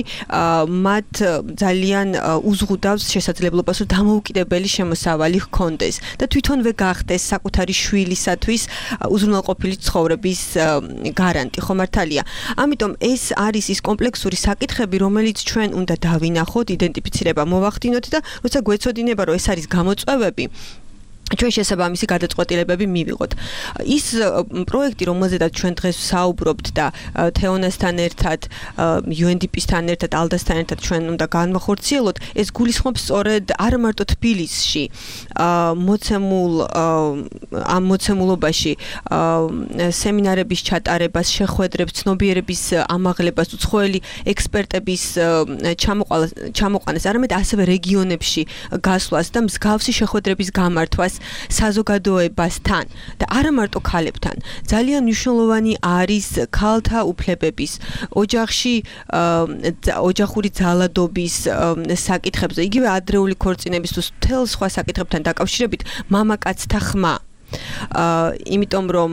მათ ძალიან უზღუდავს შესაძლებლობას რომ დამოუკიდებელი შემოსავალი ჰქონდეს და თვითონვე გახდეს საკუთარი შვილისათვის უზრუნველყოფილი ცხოვრების გარანტი ხო მართალია. ამიტომ ეს არის ის კომპლექსური საკითხები რომელიც ჩვენ უნდა დავინახოთ, იდენტიფიცირება მოვახდინოთ და როცა გვეცოდინება რომ ეს არის გამოწვევები ჩვენ შესაბამისი გადაწყვეტილებები მივიღოთ. ის პროექტი, რომელზედაც ჩვენ დღეს ვსაუბრობთ და თეონასთან ერთად, UNDP-სთან ერთად, ALDA-სთან ერთად ჩვენ უნდა განვახორციელოთ, ეს გულისხმობს სწორედ არა მარტო თბილისში ამ მოცემულობაში სემინარების ჩატარებას, შეხვედრებს, ცნობიერების ამაღლებას, უცხოელი ექსპერტების ჩამოყვანას, არამედ ასევე რეგიონებში გასვლას და მსგავსი შეხვედრების გამართვას საზოგადოებასთან და არა მარტო ქალებთან. ძალიან მნიშვნელოვანი არის ქალთა უფლებების, ოჯახური ძალადობის საკითხებზე, იგივე ადრეული ქორწინების თუ მთელ სხვა საკითხებთან დაკავშირებით მამაკაცთა ხმა. იმიტომ რომ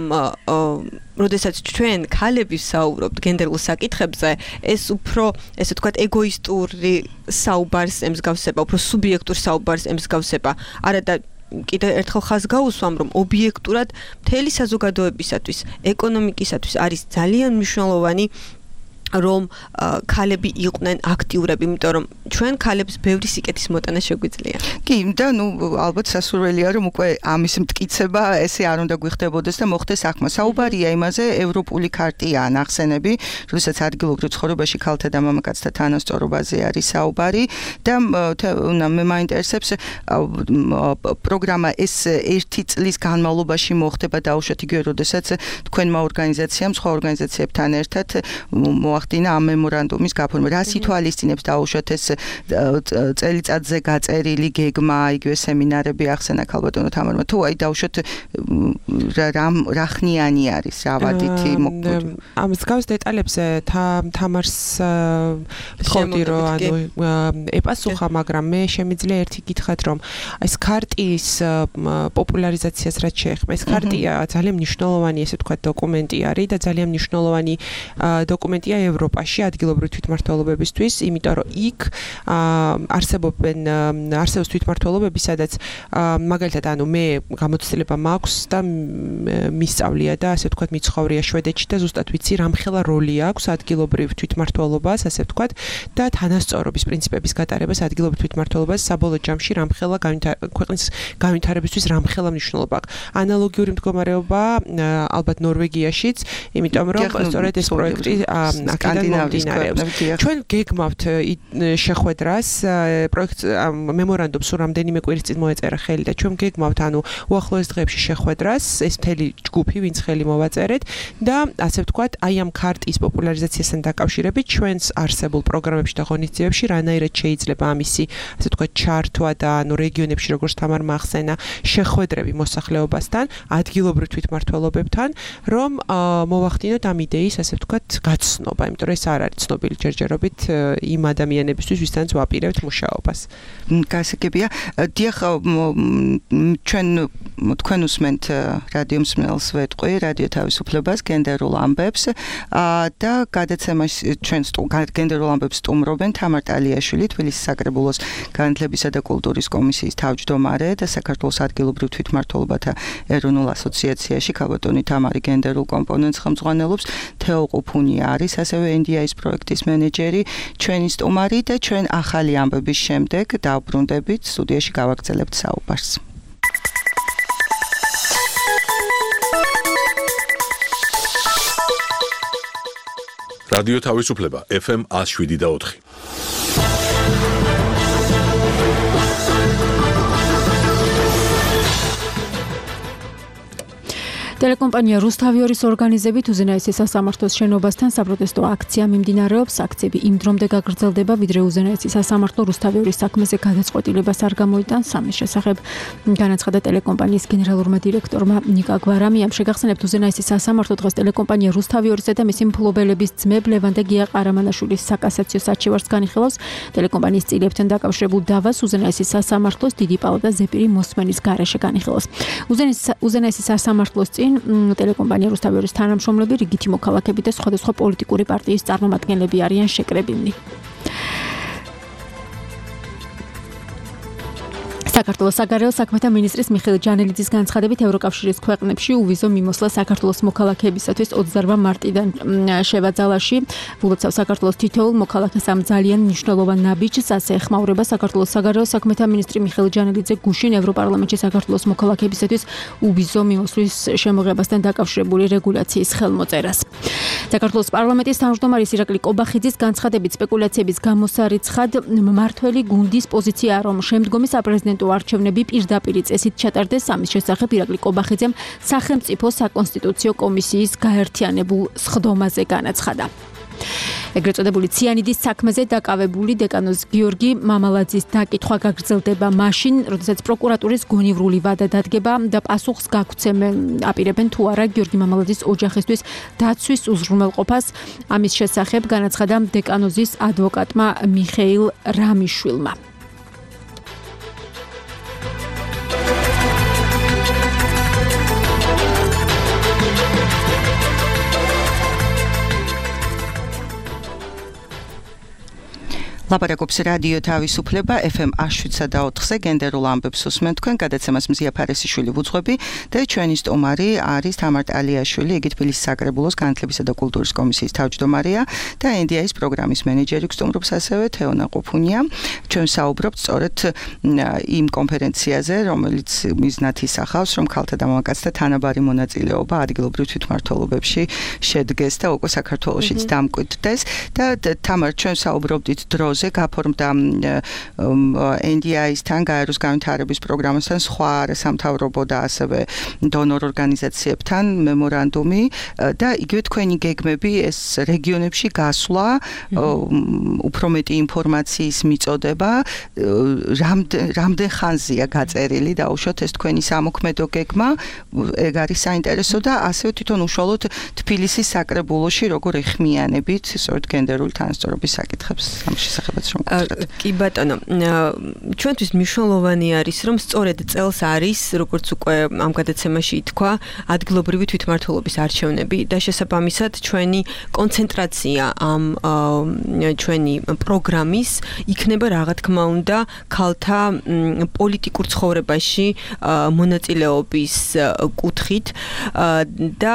როდესაც ჩვენ ქალები ვსაუბრობთ გენდერულ საკითხებზე, ეს უფრო, ესე ვთქვათ, ეგოისტური საუბარს ემსგავსება, უფრო სუბიექტურ საუბარს ემსგავსება. არა და კიდევ ერთხელ ხაზს გაუსვამ, რომ ობიექტურად მთელი საზოგადოებისათვის, ეკონომიკისათვის არის ძალიან მნიშვნელოვანი რომ ქალები იყვნენ აქტიურები, იმიტომ რომ ჩვენ ქალებს ბევრი სიკეთის მოტანა შეგვიძლია. კი, და ალბათ სასურველია რომ უკვე ამის მტკიცება ესე არ უნდა გვიხდებოდეს და მოხდეს ახმა. საუბარია იმაზე, ევროპული ქარტია ნახსენები, როდესაც ადგილობრივ ცხოვრებაში ქალთა და მამაკაცთა თანასწორობაზე არის საუბარი და მე მაინტერესებს პროგრამა ეს 1 წლის განმავლობაში მოხდება დაუშვათ იგივე, როდესაც თქვენმა ორგანიზაციამ სხვა ორგანიზაციებთან ერთად მოახდინა ამ მემორანდუმის გაფორმა. რას ითვალისწინებს დაუშვათ ეს წელიწადზე გაწერილი გეგმა, იგივე სემინარები ახსენა ქალბატონო თამარმა, თუ აი დაუშვათ რა ხნიანი არის, რა ვადითი მოგვიყვება. ამ მსგავს დეტალებზე თამარს ვთხოვდი რომ ეპასუხა, მაგრამ მე შემიძლია ერთი კითხოთ, რომ ეს ქარტიის პოპულარიზაციას რაც შეეხება, ეს ქარტია ძალიან მნიშვნელოვანი, ესე ვთქვათ, დოკუმენტი არის და ძალიან მნიშვნელოვანი დოკუმენტია ევროპაში ადგილობრივი თვითმმართველობებისთვის, იმიტომ რომ იქ არსებობს თვითმმართველობები, სადაც მაგალითად მე გამოცდილება მაქვს და მისწავლია და ასე ვთქვათ მიცხოვრია შვედეთში და ზუსტად ვიცი რამხელა როლი აქვს ადგილობრივ თვითმმართველობას, ასე ვთქვათ, და თანასწორობის პრინციპების გატარებას ადგილობრივ თვითმმართველობას საბოლოო ჯამში რამხელა ქვეყნის განვითარებისთვის რამხელა მნიშვნელობა აქვს. ანალოგიური მდგომარეობა ალბათ ნორვეგიაშიც, იმიტომ რომ სწორედ ეს პროექტი აქედან მომდინარეობს. ჩვენ გეგმავთ შეხვედრას, პროექტ მემორანდუმს რამდენიმე კვირის წინ მოეწერა ხელი და ჩვენ გეგმავთ უახლოეს დღეებში შეხვედრას, ეს მთელი ჯგუფი, ვინც ხელი მოვაწერეთ და ასე ვთქვათ, აი ამ ქარტის პოპულარიზაციასთან დაკავშირებით ჩვენს არსებულ პროგრამებში და ღონისძიებებში რანაირად შეიძლება ამისი, ასე ვთქვათ, ჩართვა და რეგიონებში, როგორც თამარმა ახსენა, შეხვედრები მოსახლეობასთან, ადგილობრივ თვითმმართველობებთან, რომ მოვახდინოთ ამ იდეის, ასე ვთქვათ, გაცნობა, იმიტომ რომ ეს არ არის ცნობილი ჯერჯერობით იმ ადამიანებისთვის, ვისთანაც ვაპირებთ მუშაობას. გასაგებია. დიახ, თქვენ უსმენთ რადიო მსმენელს ვეტყვი, რადიო თავისუფლებას, გენდერულ ამბებს და გადაცემაში ჩვენ გენდერულ ამბებს სტუმრობენ თამარ ტალიაშვილი, თბილისის საკრებულოს განათლებისა და კულტურის კომისიის თავმჯდომარე და საქართველოს ადგილობრივ თვითმმართველობათა ეროვნულ ასოციაციაში ქალბატონი თამარი გენდერულ კომპონენტს ხელმძღვანელობს, თეო ყუფუნია არის ასევე NDI-ის პროექტის მენეჯერი, ჩვენი სტუმარი და ჩვენ ახალი ამბების შემდეგ დავბრუნდებით სტუდიაში გავაგრძელებთ საუბარს. რადიო თავისუფლება FM 107.4. ტელეკომპანია რუსთავიორის ორგანიზებით უზენაესის სასამართლოს შენობასთან საპროტესტო აქცია მიმდინარეობს. აქციები იმ დრომდე გაგრძელდება, ვიდრე უზენაესის სასამართლო რუსთავიორის საქმეზე გადაწყვეტილებას არ გამოიტანს. ამის შესახებ განაცხადა ტელეკომპანიის გენერალურმა დირექტორმა ნიკა გვარამიამ. შეგახსენებთ, უზენაესის სასამართლო დღეს ტელეკომპანია რუსთავიორისა და მისი მფლობელების ძმებ ლევან და გია ყარამანაშვილის საკასაციო საჩივარს განიხილავს. ტელეკომპანიის წილებთან დაკავშირებულ დავას უზენაესის სასამართლოს დიდი პალატა ზეპირი მოსმენის გარეშე განიხილავს. უზენაესის სასამართლოს წინ ტელეკომპანია რუსთავიორის თანამშრომლები, რიგითი მოქალაქეები და სხვადასხვა პოლიტიკური პარტიის წარმომადგენლები არიან შეკრებილნი. საქართველოს საგარეო საქმეთა მინისტრის მიხეილ ჯანელიძის განცხადებით ევროკავშირის ქვეყნებში უვიზო მიმოსვლა საქართველოს მოქალაქეებისათვის 28 მარტიდან შევაძალაში. ვულოცავ საქართველოს თითოეულ მოქალაქეს ამ ძალიან მნიშვნელოვან ნაბიჯს, ასე ეხმაურება საქართველოს საგარეო საქმეთა მინისტრი მიხეილ ჯანელიძე გუშინ ევროპარლამენტში საქართველოს მოქალაქეებისათვის უვიზო მიმოსვლის შემოღებასთან დაკავშირებული რეგულაციის ხელმოწერას. საქართველოს პარლამენტის თავმჯდომარის ირაკლი კობახიძის განცხადებით სპეკულაციების გამოსარიცხად მმართველი გუნდის პოზიციაა, რომ შემდგომი საპრეზიდენტო არჩევნები პირდაპირ წესით ჩატარდეს. ამის შესახებ ირაკლი კობახიძემ სახელმწიფო საკონსტიტუციო კომისიის გაერთიანებულ სხდომაზე განაცხადა. ეგრეთ წოდებული ციანიდის საქმეზე დაკავებული დეკანოს გიორგი მამალაძის დაკითხვა გაგრძელდება მაშინ, როდესაც პროკურატურის გონივრული ვადა დადგება და პასუხს გაგცემენ აპირებენ თუ არა გიორგი მამალაძის ოჯახისთვის დაცვის უზრუნველყოფას. ამის შესახებ განაცხადა დეკანოზის ადვოკატმა მიხეილ რამიშვილმა. ლაპარაკობს რადიო თავისუფლება FM 107.4-ზე გენდერულ ამბებს უსმენთ თქვენ. გადაცემას მზია ფარესიშვილი ვუძღვები და ჩვენი სტუმარი არის თამარ ტალიაშვილი, იგი თბილისის საკრებულოს განათლებისა და კულტურის კომისიის თავმჯდომარეა და NDI-ის პროგრამის მენეჯერი, გსტუმრობს ასევე თეონა ყოფუნია. ჩვენ საუბრობთ სწორედ იმ კონფერენციაზე, რომელიც მიზნად ისახავს, რომ ქალთა და მამაკაცთა თანაბარი მონაწილეობა ადგილობრივ თვითმმართველობებში შედგეს და უკვე საქართველოშიც დამკვიდრდეს. და თამარ, ჩვენ საუბრობდით დროს გაფორმდა NDI-სთან, გაეროს განვითარების პროგრამასთან, სხვა არასამთავრობო და ასევე დონორ ორგანიზაციებთან მემორანდუმი და იგივე თქვენი გეგმები ეს რეგიონებში გასვლა, უფრო მეტი ინფორმაციის მიწოდება, რამდენ ხანზეა გაწერილი დაუშვათ ეს თქვენი სამოქმედო გეგმა, ეგ არის საინტერესო და ასევე თვითონ უშუალოდ თბილისის საკრებულოში როგორ ეხმიანებით სწორედ გენდერული თანასწორობის საკითხებს ამ შესახებ. კი ბატონო, ჩვენთვის მნიშვნელოვანი არის, რომ სწორედ წელს არის, როგორც უკვე ამ გადაცემაში ითქვა, ადგილობრივი თვითმმართველობის არჩევნები და შესაბამისად ჩვენი კონცენტრაცია ამ ჩვენი პროგრამის იქნება რა თქმა უნდა ქალთა პოლიტიკურ ცხოვრებაში მონაწილეობის კუთხით და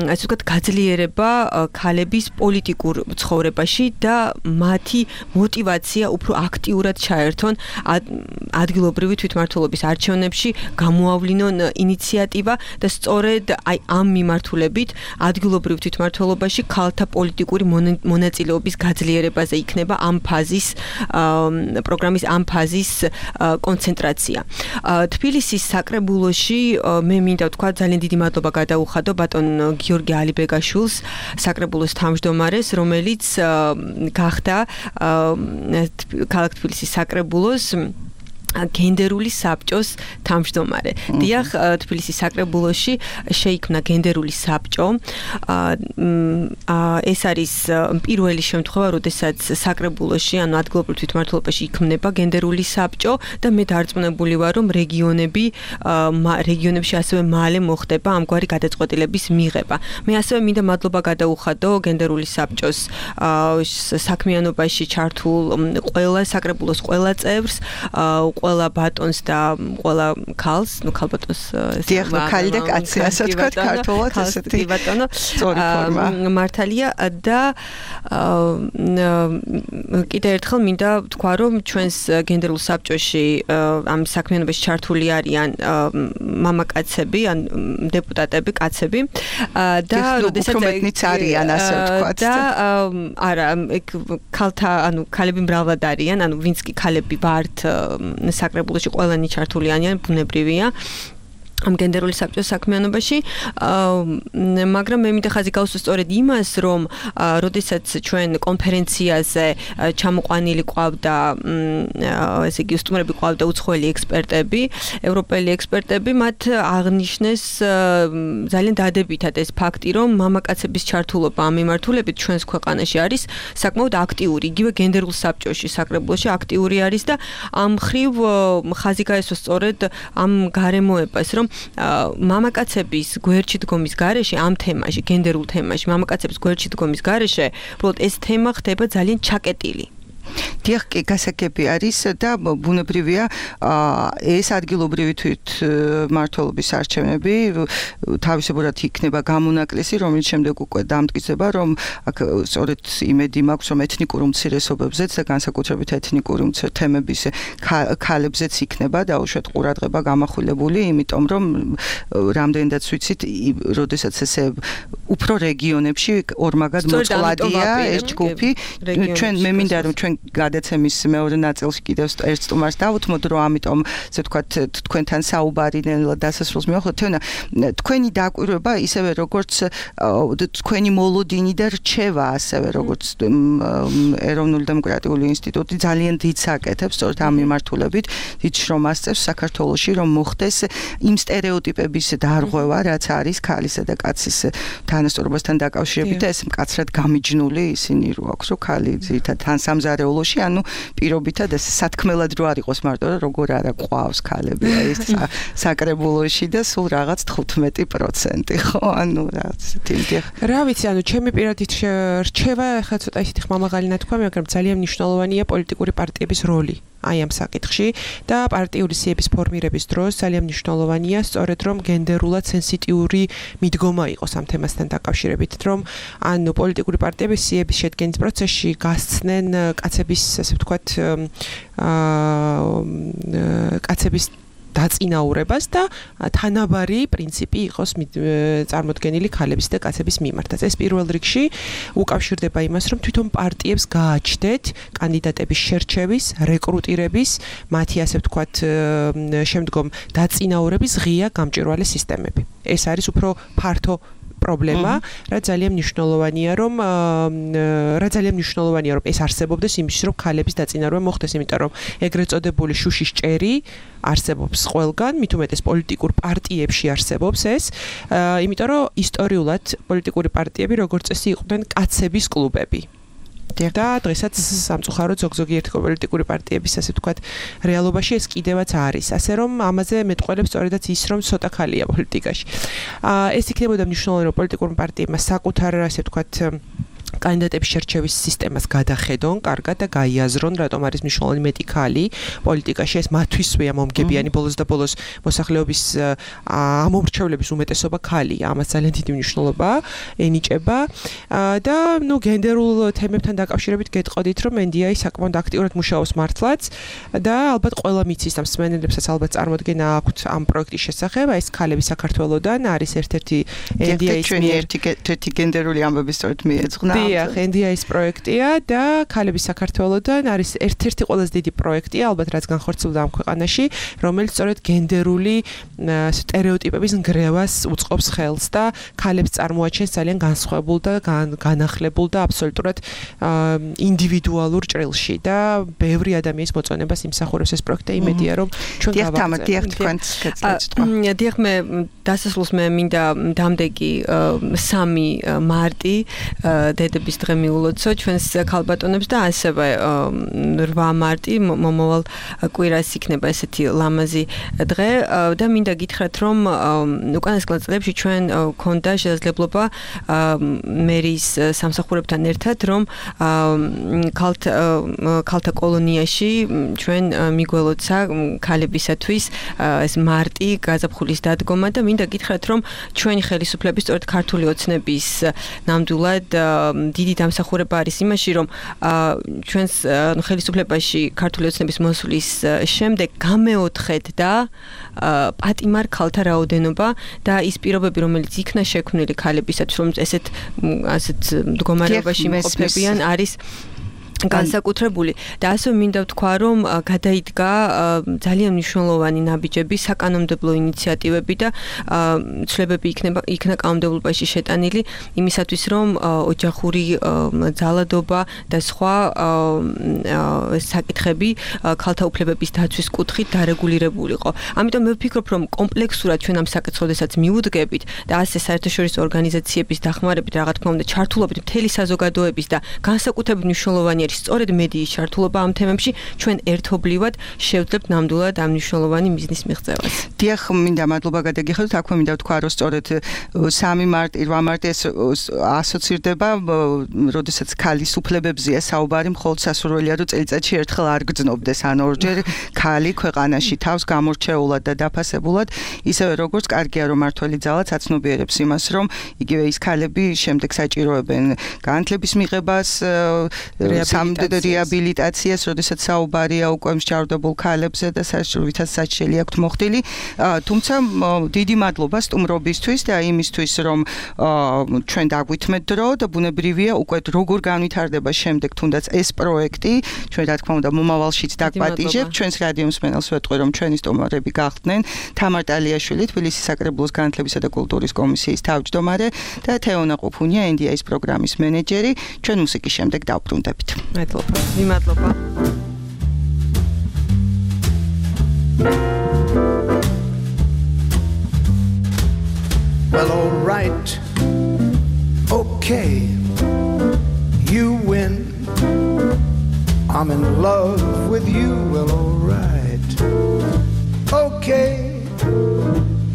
ასე ვთქვათ გაძლიერება ქალების პოლიტიკურ ცხოვრებაში და მათი мотивация უფრო აქტიურად ჩაერთონ ადგილობრივი თვითმმართველობის არჩევნებში, გამოავლინონ ინიციატივა და სწორედ აი ამ მიმართულებით ადგილობრივ თვითმმართველობაში ქალთა პოლიტიკური მონაწილეობის გაძლიერებაზე იქნება ამ ფაზის პროგრამის ამ ფაზის კონცენტრაცია. თბილისის საკრებულოში მე მინდა ვთქვა ძალიან დიდი მადლობა გადაუხადო ბატონ გიორგი ალიბეგაშვილს, საკრებულოს თავმჯდომარეს, რომელიც გახდა ქალაქ თბილისის საკრებულოს გენდერული საბჭოს თავმჯდომარე. დიახ, თბილისის საკრებულოში შეიქმნა გენდერული საბჭო. ეს არის პირველი შემთხვევა, როდესაც საკრებულოში, ანუ ადგილობრივ თვითმმართველობაში იქმნება გენდერული საბჭო და მე დარწმუნებული ვარ, რომ რეგიონებში ასევე მალე მოხდება ამგვარი გადაწყვეტილების მიღება. მე ასევე მინდა მადლობა გადაუხადო გენდერული საბჭოს საქმიანობაში ჩართულ ყველა საკრებულოს ყველა წევრს, ყველა ბატონს და ყველა ქალს, ნუ ქალბატონს დიახ, ქალი და კაცი, ასე ვთქვათ, ქართულად ესეთი ბატონო სწორი ფორმა მართალია და კიდე ერთხელ მინდა ვთქვა, რომ ჩვენს გენდერულ საბჭოში ამ საქმიანობაში ჩართული არიან მამაკაცები, ან დეპუტატები, კაცები და როდესაც უფრო არიან, ასე ვთქვათ და არა, ქალთა, ანუ ქალები მრავლად არიან, ანუ ვინც კი ქალები ვართ საკრებულოში ყველანი ჩართული არიან, ბუნებრივია. ამ გენდერული საბჭოს საქმიანობაში, მაგრამ მე მინდა ხაზი გავუსვა სწორედ იმას, რომ როდესაც ჩვენ კონფერენციაზე ჩამოყვანილი ყავდა, ესე იგი უსტუმრები ყავდა უცხოელი ექსპერტები, ევროპელი ექსპერტები, მათ აღნიშნეს ძალიან დადებითად ეს ფაქტი, რომ მამაკაცების ჩართულობა ამ მიმართულებით ჩვენს ქვეყანაში არის საკმაოდ აქტიური, იგივე გენდერულ საბჭოში, საკრებულოში აქტიური არის და ამ ხრივ ხაზი გაესვა სწორედ ამ გარემოებას, რომ მამაკაცების გვერდში დგომის გარეშე ამ თემაში, გენდერულ თემაში, მამაკაცების გვერდში დგომის გარეშე, უბრალოდ ეს თემა ხდება ძალიან ჩაკეტილი. დიახ, გასაგები არის და ბუნებრივია ეს ადგილობრივი თვითმმართველობის არჩევნები თავისებურად იქნება გამონაკლისი, რომელიც შემდეგ უკვე დამტკიცება, რომ აქ სწორედ იმედი მაქვს, რომ ეთნიკურ უმცირესობებზეც და განსაკუთრებით ეთნიკური თემების ქალებზეც იქნება დაუშვათ ყურადღება გამახვილებული, იმიტომ რომ რამდენადაც ვიცით, როდესაც ესე უფრო რეგიონებში ორმაგად მოწყვლადია ეს ჯგუფი, ჩვენ მე მინდა რომ ჩვენ გადაცემის მეორე ნაწილში კიდევ ერთ სტუმარს დავუთმოთ, რომ ამიტომ ასე ვთქვათ თქვენთან საუბარი ნელა დასასრულს მივახოთ. თქვენი დაკვირვება ისევე როგორც თქვენი მოლოდინი და რჩევა ასევე როგორც ეროვნული დემოკრატიული ინსტიტუტი ძალიან დიდს აკეთებს სწორედ ამ მიმართულებით, დიდ შრომას წევს საქართველოში, რომ მოხდეს იმ სტერეოტიპების დარღვევა, რაც არის ქალისა და კაცის თანასწორობასთან დაკავშირებით და ეს მკაცრად გამიჯნული ისინი რო აქვს, რომ ქალი ძირითადად თანსამზარეულოში, ანუ პირობითად ეს სათქმელად რო არ იყოს მარტო, როგორ არა ყავს ქალები ეს საკრებულოში და სულ რაღაც 15%, ხო? ანუ რაღაც თინდიხ. რა ვიცი, ანუ ჩემი პირადი რჩევა ახლა ცოტა ისეთი ხმამაღალი ნათქვამი, მაგრამ ძალიან მნიშვნელოვანია პოლიტიკური პარტიების როლი. აი ამ საკითხში და პარტიული სიების ფორმირების დროს ძალიან მნიშვნელოვანია სწორედ რომ გენდერულად სენსიტიური მიდგომა იყოს ამ თემასთან დაკავშირებით, რომ ანუ პოლიტიკური პარტიები სიების შედგენის პროცესში გასცნენ კაცების, ასე ვთქვათ, კაცების დაწინაურებას და თანაბარი პრინციპი იყოს წარმოდგენილი ქალების და კაცების მიმართაც. ეს პირველ რიგში უკავშირდება იმას, რომ თვითონ პარტიებს გააჩნდეთ კანდიდატების შერჩევის, რეკრუტირების, მათი ასე ვთქვათ, შემდგომ დაწინაურების ღია გამჭვირვალე სისტემები. ეს არის უფრო ფართო პრობლემა, რა ძალიან მნიშვნელოვანია, რომ ეს არსებობდეს იმისთვის, რომ ქალების დაწინაურება მოხდეს, იმიტომ რომ ეგრეთ წოდებული შუშის ჭერი არსებობს ყველგან, მით უმეტეს პოლიტიკურ პარტიებში არსებობს ეს, იმიტომ რომ ისტორიულად პოლიტიკური პარტიები როგორც წესი იყვნენ კაცების კლუბები. და დღესაც სამწუხაროდ ზოგ-ზოგიერთი პოლიტიკური პარტიების ასე ვთქვათ რეალობაში ეს კიდევაც არის. ასე რომ ამაზე მეტყველებს სწორედაც ის რომ ცოტა ქალია პოლიტიკაში. ეს იქნებოდა მნიშვნელოვანი რომ პოლიტიკურმა პარტიებმა საკუთარ ასე ვთქვათ კანდიდატების შერჩევის სისტემას გადახედონ, კარგად და გაიაზრონ, რატომ არის მნიშვნელოვანი მეტი ქალი პოლიტიკაში, ეს მათთვისვეა მომგებიანი ბოლოს და ბოლოს მოსახლეობის ამომრჩევლების უმეტესობა ქალია, ამას ძალიან დიდი მნიშვნელობა ენიჭება და ნუ გენდერულ თემებთან დაკავშირებით გეტყოდით, რომ NDI საკმაოდ აქტიურად მუშაობს მართლაც და ალბათ ყველა მიცის და მსმენელებსაც ალბათ წარმოდგენა აქვთ ამ პროექტის შესახებ, ეს ქალები საქართველოსდან არის ერთ-ერთი NDI-ის ერთი გენდერული ამბები სწორედ მიეძღვნა. დიახ, NDI-ის პროექტია და ქალები საქართველოსდან არის ერთ-ერთი ყველაზე დიდი პროექტია, ალბათ რაც განხორციელდა ამ ქვეყანაში, რომელიც სწორედ გენდერული სტერეოტიპების ნგრევას უწყობს ხელს და ქალებს წარმოაჩენს ძალიან განსხვავებულ და განახლებულ და აბსოლუტურად ინდივიდუალურ ჭრილში და ბევრი ადამიანის მოწონებას იმსახურებს ეს პროექტი, იმედია რომ ჩვენ გავაგრძელებთ. დიახ, მე დასასრულს მე მინდა დამდეგი 3 მარტი დედების დღე მიულოცო ჩვენს ქალბატონებს და ასევე 8 მარტი მომავალ კვირას იქნება ესეთი ლამაზი დღე და მინდა გითხრათ რომ უკანასკნელ წლებში ჩვენ გქონდა შესაძლებლობა მერის სამსახურებთან ერთად რომ ქალთა კოლონიაში ჩვენ მიგველოცა ქალებისათვის ეს მარტი გაზაფხულის დადგომა და მინდა გითხრათ რომ ჩვენი ხელისუფლების სწორედ ქართული ოცნების ნამდვილად დიდი დამსახურება არის იმაში, რომ ჩვენს ხელისუფლებაში ქართული ოცნების მოსვლის შემდეგ გამეოთხეთ და პატიმარ ქალთა რაოდენობა და ის პირობები, რომელიც იქნა შექმნილი ქალებისათვის, რომ ასეთ მდგომარეობაში იმყოფებიან, არის განსაკუთრებული და ასევე მინდა ვთქვა რომ გადაიდგა ძალიან მნიშვნელოვანი ნაბიჯები საკანონმდებლო ინიციატივები და ცვლილებები იქნა კანონმდებლობაში შეტანილი იმისათვის რომ ოჯახური ძალადობა და სხვა საკითხები ქალთა უფლებების დაცვის კუთხით დარეგულირებულიყო. ამიტომ მე ვფიქრობ რომ კომპლექსურად ჩვენ ამ საკითხოდესაც მივუდგებით და ასე საერთაშორისო ორგანიზაციების დახმარებით რა თქმა უნდა ჩართულობით მთელი საზოგადოების და განსაკუთრებით მნიშვნელოვანი სწორედ მედიის ჩართულობა ამ თემებში ჩვენ ერთობლივად შევძლებთ ნამდვილად ამ მნიშვნელოვანი მიზნის მიღწევას. დიახ, მინდა მადლობა გადაგიხადოთ. აქვე მინდა ვთქვა, რომ სწორედ 3 მარტი, 8 მარტი ეს ასოცირდება, როდესაც ქალის უფლებებზეა საუბარი, მხოლოდ სასურველია, რომ წელიწადში ერთხელ არ გრძნობდეს, ან ორჯერ ქალი ქვეყანაში თავს გამორჩეულად და დაფასებულად, ისევე როგორც კარგია, რომ მართველი ძალაც აცნობიერებს იმას, რომ იგივე ის ქალები შემდეგ საჭიროებენ განათლების მიღებას, რეაბილიტაციას, როდესაც საუბარია უკვე მსჯავრდებულ ქალებზე და საერთოდ საჭირელი აქვთ მოხდილი. თუმცა დიდი მადლობა სტუმრობისთვის და იმისთვის, რომ ჩვენ დაგვითმეთ დრო და ბუნებრივია უკვე როგორ განვითარდება შემდეგ თუნდაც ეს პროექტი, ჩვენ რა თქმა უნდა მომავალშიც დაგპატიჟებთ. ჩვენს რადიო მსმენელს ვეტყვი, რომ ჩვენი სტუმრები გახდნენ თამარ ტალიაშვილი, თბილისის საკრებულოს განათლებისა და კულტურის კომისიის თავმჯდომარე და თეონა ყუფუნია, NDI-ის პროგრამის მენეჯერი. ჩვენ მუსიკის შემდეგ დავბრუნდებით. მადლობა. მადლობა. Well, all right. Okay. You win. I'm in love with you. Well, all right. Okay.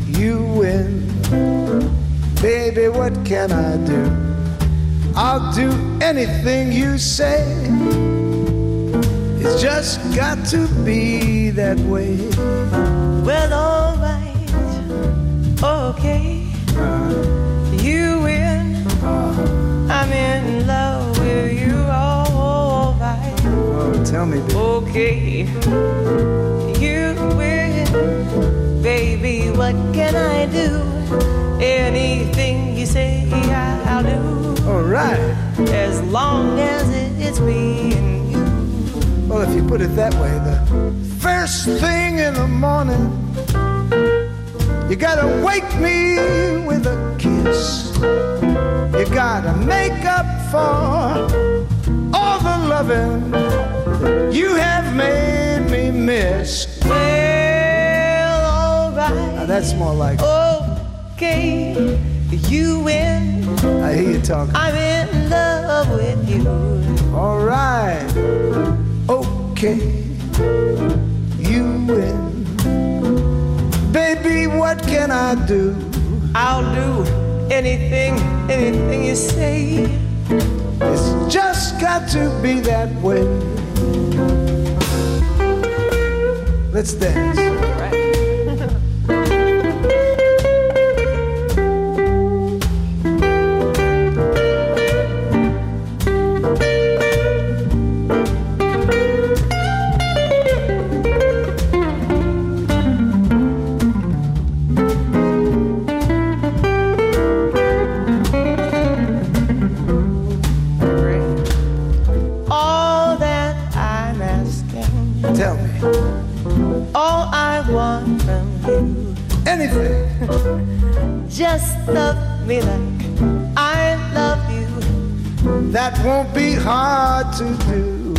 You win. Baby, what can I do? I'll do anything you say. It's just got to be that way. Well, all right, okay, you win. I'm in love with you, all right. Oh, tell me, baby. Okay, you win. Baby, what can I do? Anything you say, I'll do. All right. As long as it's me and you. Well, if you put it that way, the first thing in the morning, you gotta wake me with a kiss. You gotta make up for all the loving you have made me miss. Well, all right. Now that's more like okay, you win. I hear you talking. I'm in love with you. All right. Okay, you win. Baby, what can I do? I'll do anything you say. It's just got to be that way. Let's dance. Just love me like I love you. That won't be hard to do.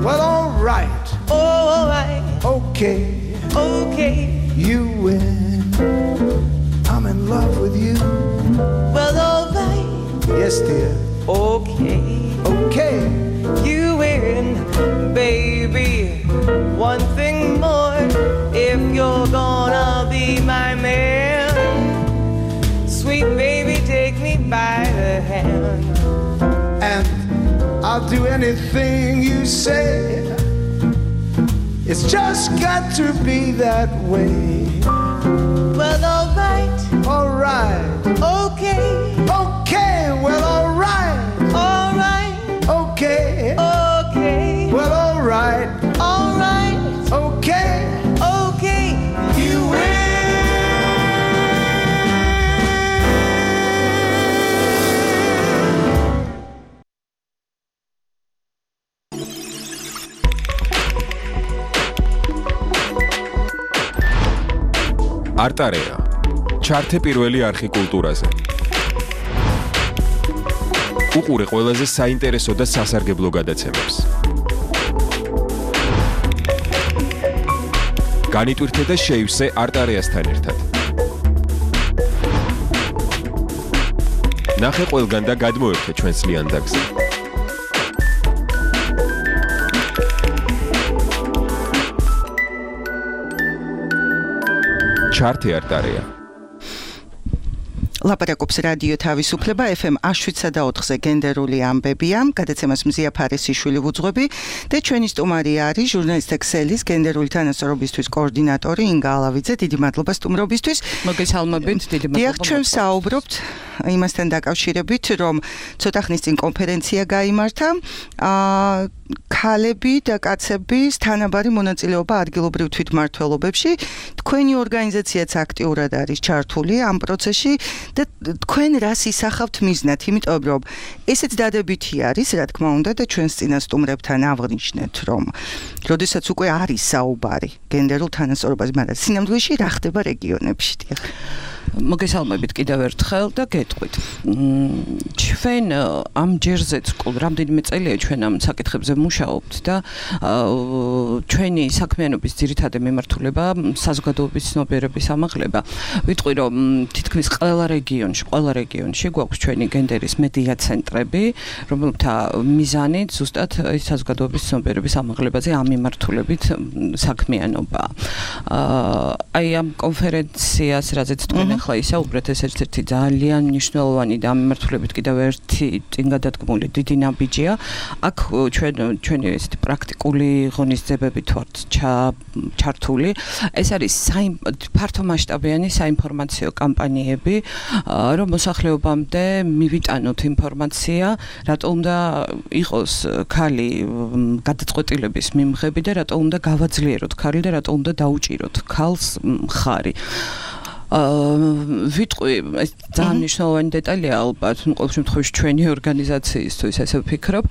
Well, all right. All right. Okay. Okay. You win. I'm in love with you. Well, all right. Yes, dear. Okay. Okay. You win, baby. One thing more. If you're gonna be my man, sweet baby, take me by the hand. And I'll do anything you say. It's just got to be that way. Well, all right. All right. Okay. Okay. Well, all right. All right. Okay. Okay. Well, all right. All right. Okay. Okay. You win. არტარეა. ჩართე პირველი არხი კულტურაზე. უყურე ყველაზე საინტერესო და სასარგებლო გადაცემებს. განიტვირთე და შეივსე არტარეასთან ერთად. ნახე ყველგან და გადმოერთე ჩვენს ლიანდაგზე. ჩართე არტარეა. ლაპარაკობს რადიო თავისუფლება FM 107.4-ზე გენდერული ამბებია. გადაცემას მზია ფარისიშვილი ვუძღვები და ჩვენი სტუმარი არის ჟურნალისტ ექსელის გენდერული თანასწორობისთვის კოორდინატორი ინგა ალავიძე. დიდი მადლობა სტუმრობისთვის. მოგესალმებით, დიდი მადლობა. დიახ, ჩვენ საუბრობთ იმასთან დაკავშირებით, რომ ცოტა ხნის წინ კონფერენცია გაიმართა. ქალები და კაცების თანაბარი მონაწილეობა ადგილობრივ თვითმმართველობებში. თქვენი ორგანიზაციაც აქტიურად არის ჩართული ამ პროცესში და თქვენ რას ისახავთ მიზნად, იმიტომ რომ ესეც დადებითი არის, რა თქმა უნდა, და ჩვენს წინასწუმრებთან აღვნიშნეთ, რომ როდესაც უკვე არის საუბარი გენდერულ თანასწორობაზე, მაგრამ სინამდვილეში რა ხდება რეგიონებში? დიახ. მოგესალმებით კიდევ ერთხელ და გეტყვით. ჩვენ ამ ჯერზეც რამდენიმე წელია ჩვენ ამ საკითხებზე მუშაობთ და ჩვენი საქმიანობის ძირითადი მიმართულება საზოგადოების ცნობიერების ამაღლება. ვიტყვი რომ თითქმის ყველა რეგიონში გვაქვს ჩვენი გენდერის მედია ცენტრები, რომელთა მიზანით ზუსტად საზოგადოების ცნობიერების ამაღლებაზე ამ მიმართულებით საქმიანობა. აი ამ კონფერენციას, რაზეც თქვენ ახლა ისაუბრეთ, ეს ერთ-ერთი ძალიან მნიშვნელოვანი და ამ მიმართულებით კიდევ ერთი წინგადადგმული დიდი ნაბიჯია. აქ ჩვენი ესეთი პრაქტიკული ღონისძიებებით ვართ ჩართული. ეს არის ფართომასშტაბიანი საინფორმაციო კამპანიები, რომ მოსახლეობამდე მივიტანოთ ინფორმაცია, რატო უნდა იყოს ქალი გადაწყვეტილების მიმღები და რატო უნდა გავაძლიეროთ ქალი და რატო უნდა დაუჭიროთ ქალს მხარი. ვიტყვი ეს ძალიან მნიშვნელოვანი დეტალია ალბათ, ყოველ შემთხვევაში ჩვენი ორგანიზაციისთვის ესე ვფიქრობ.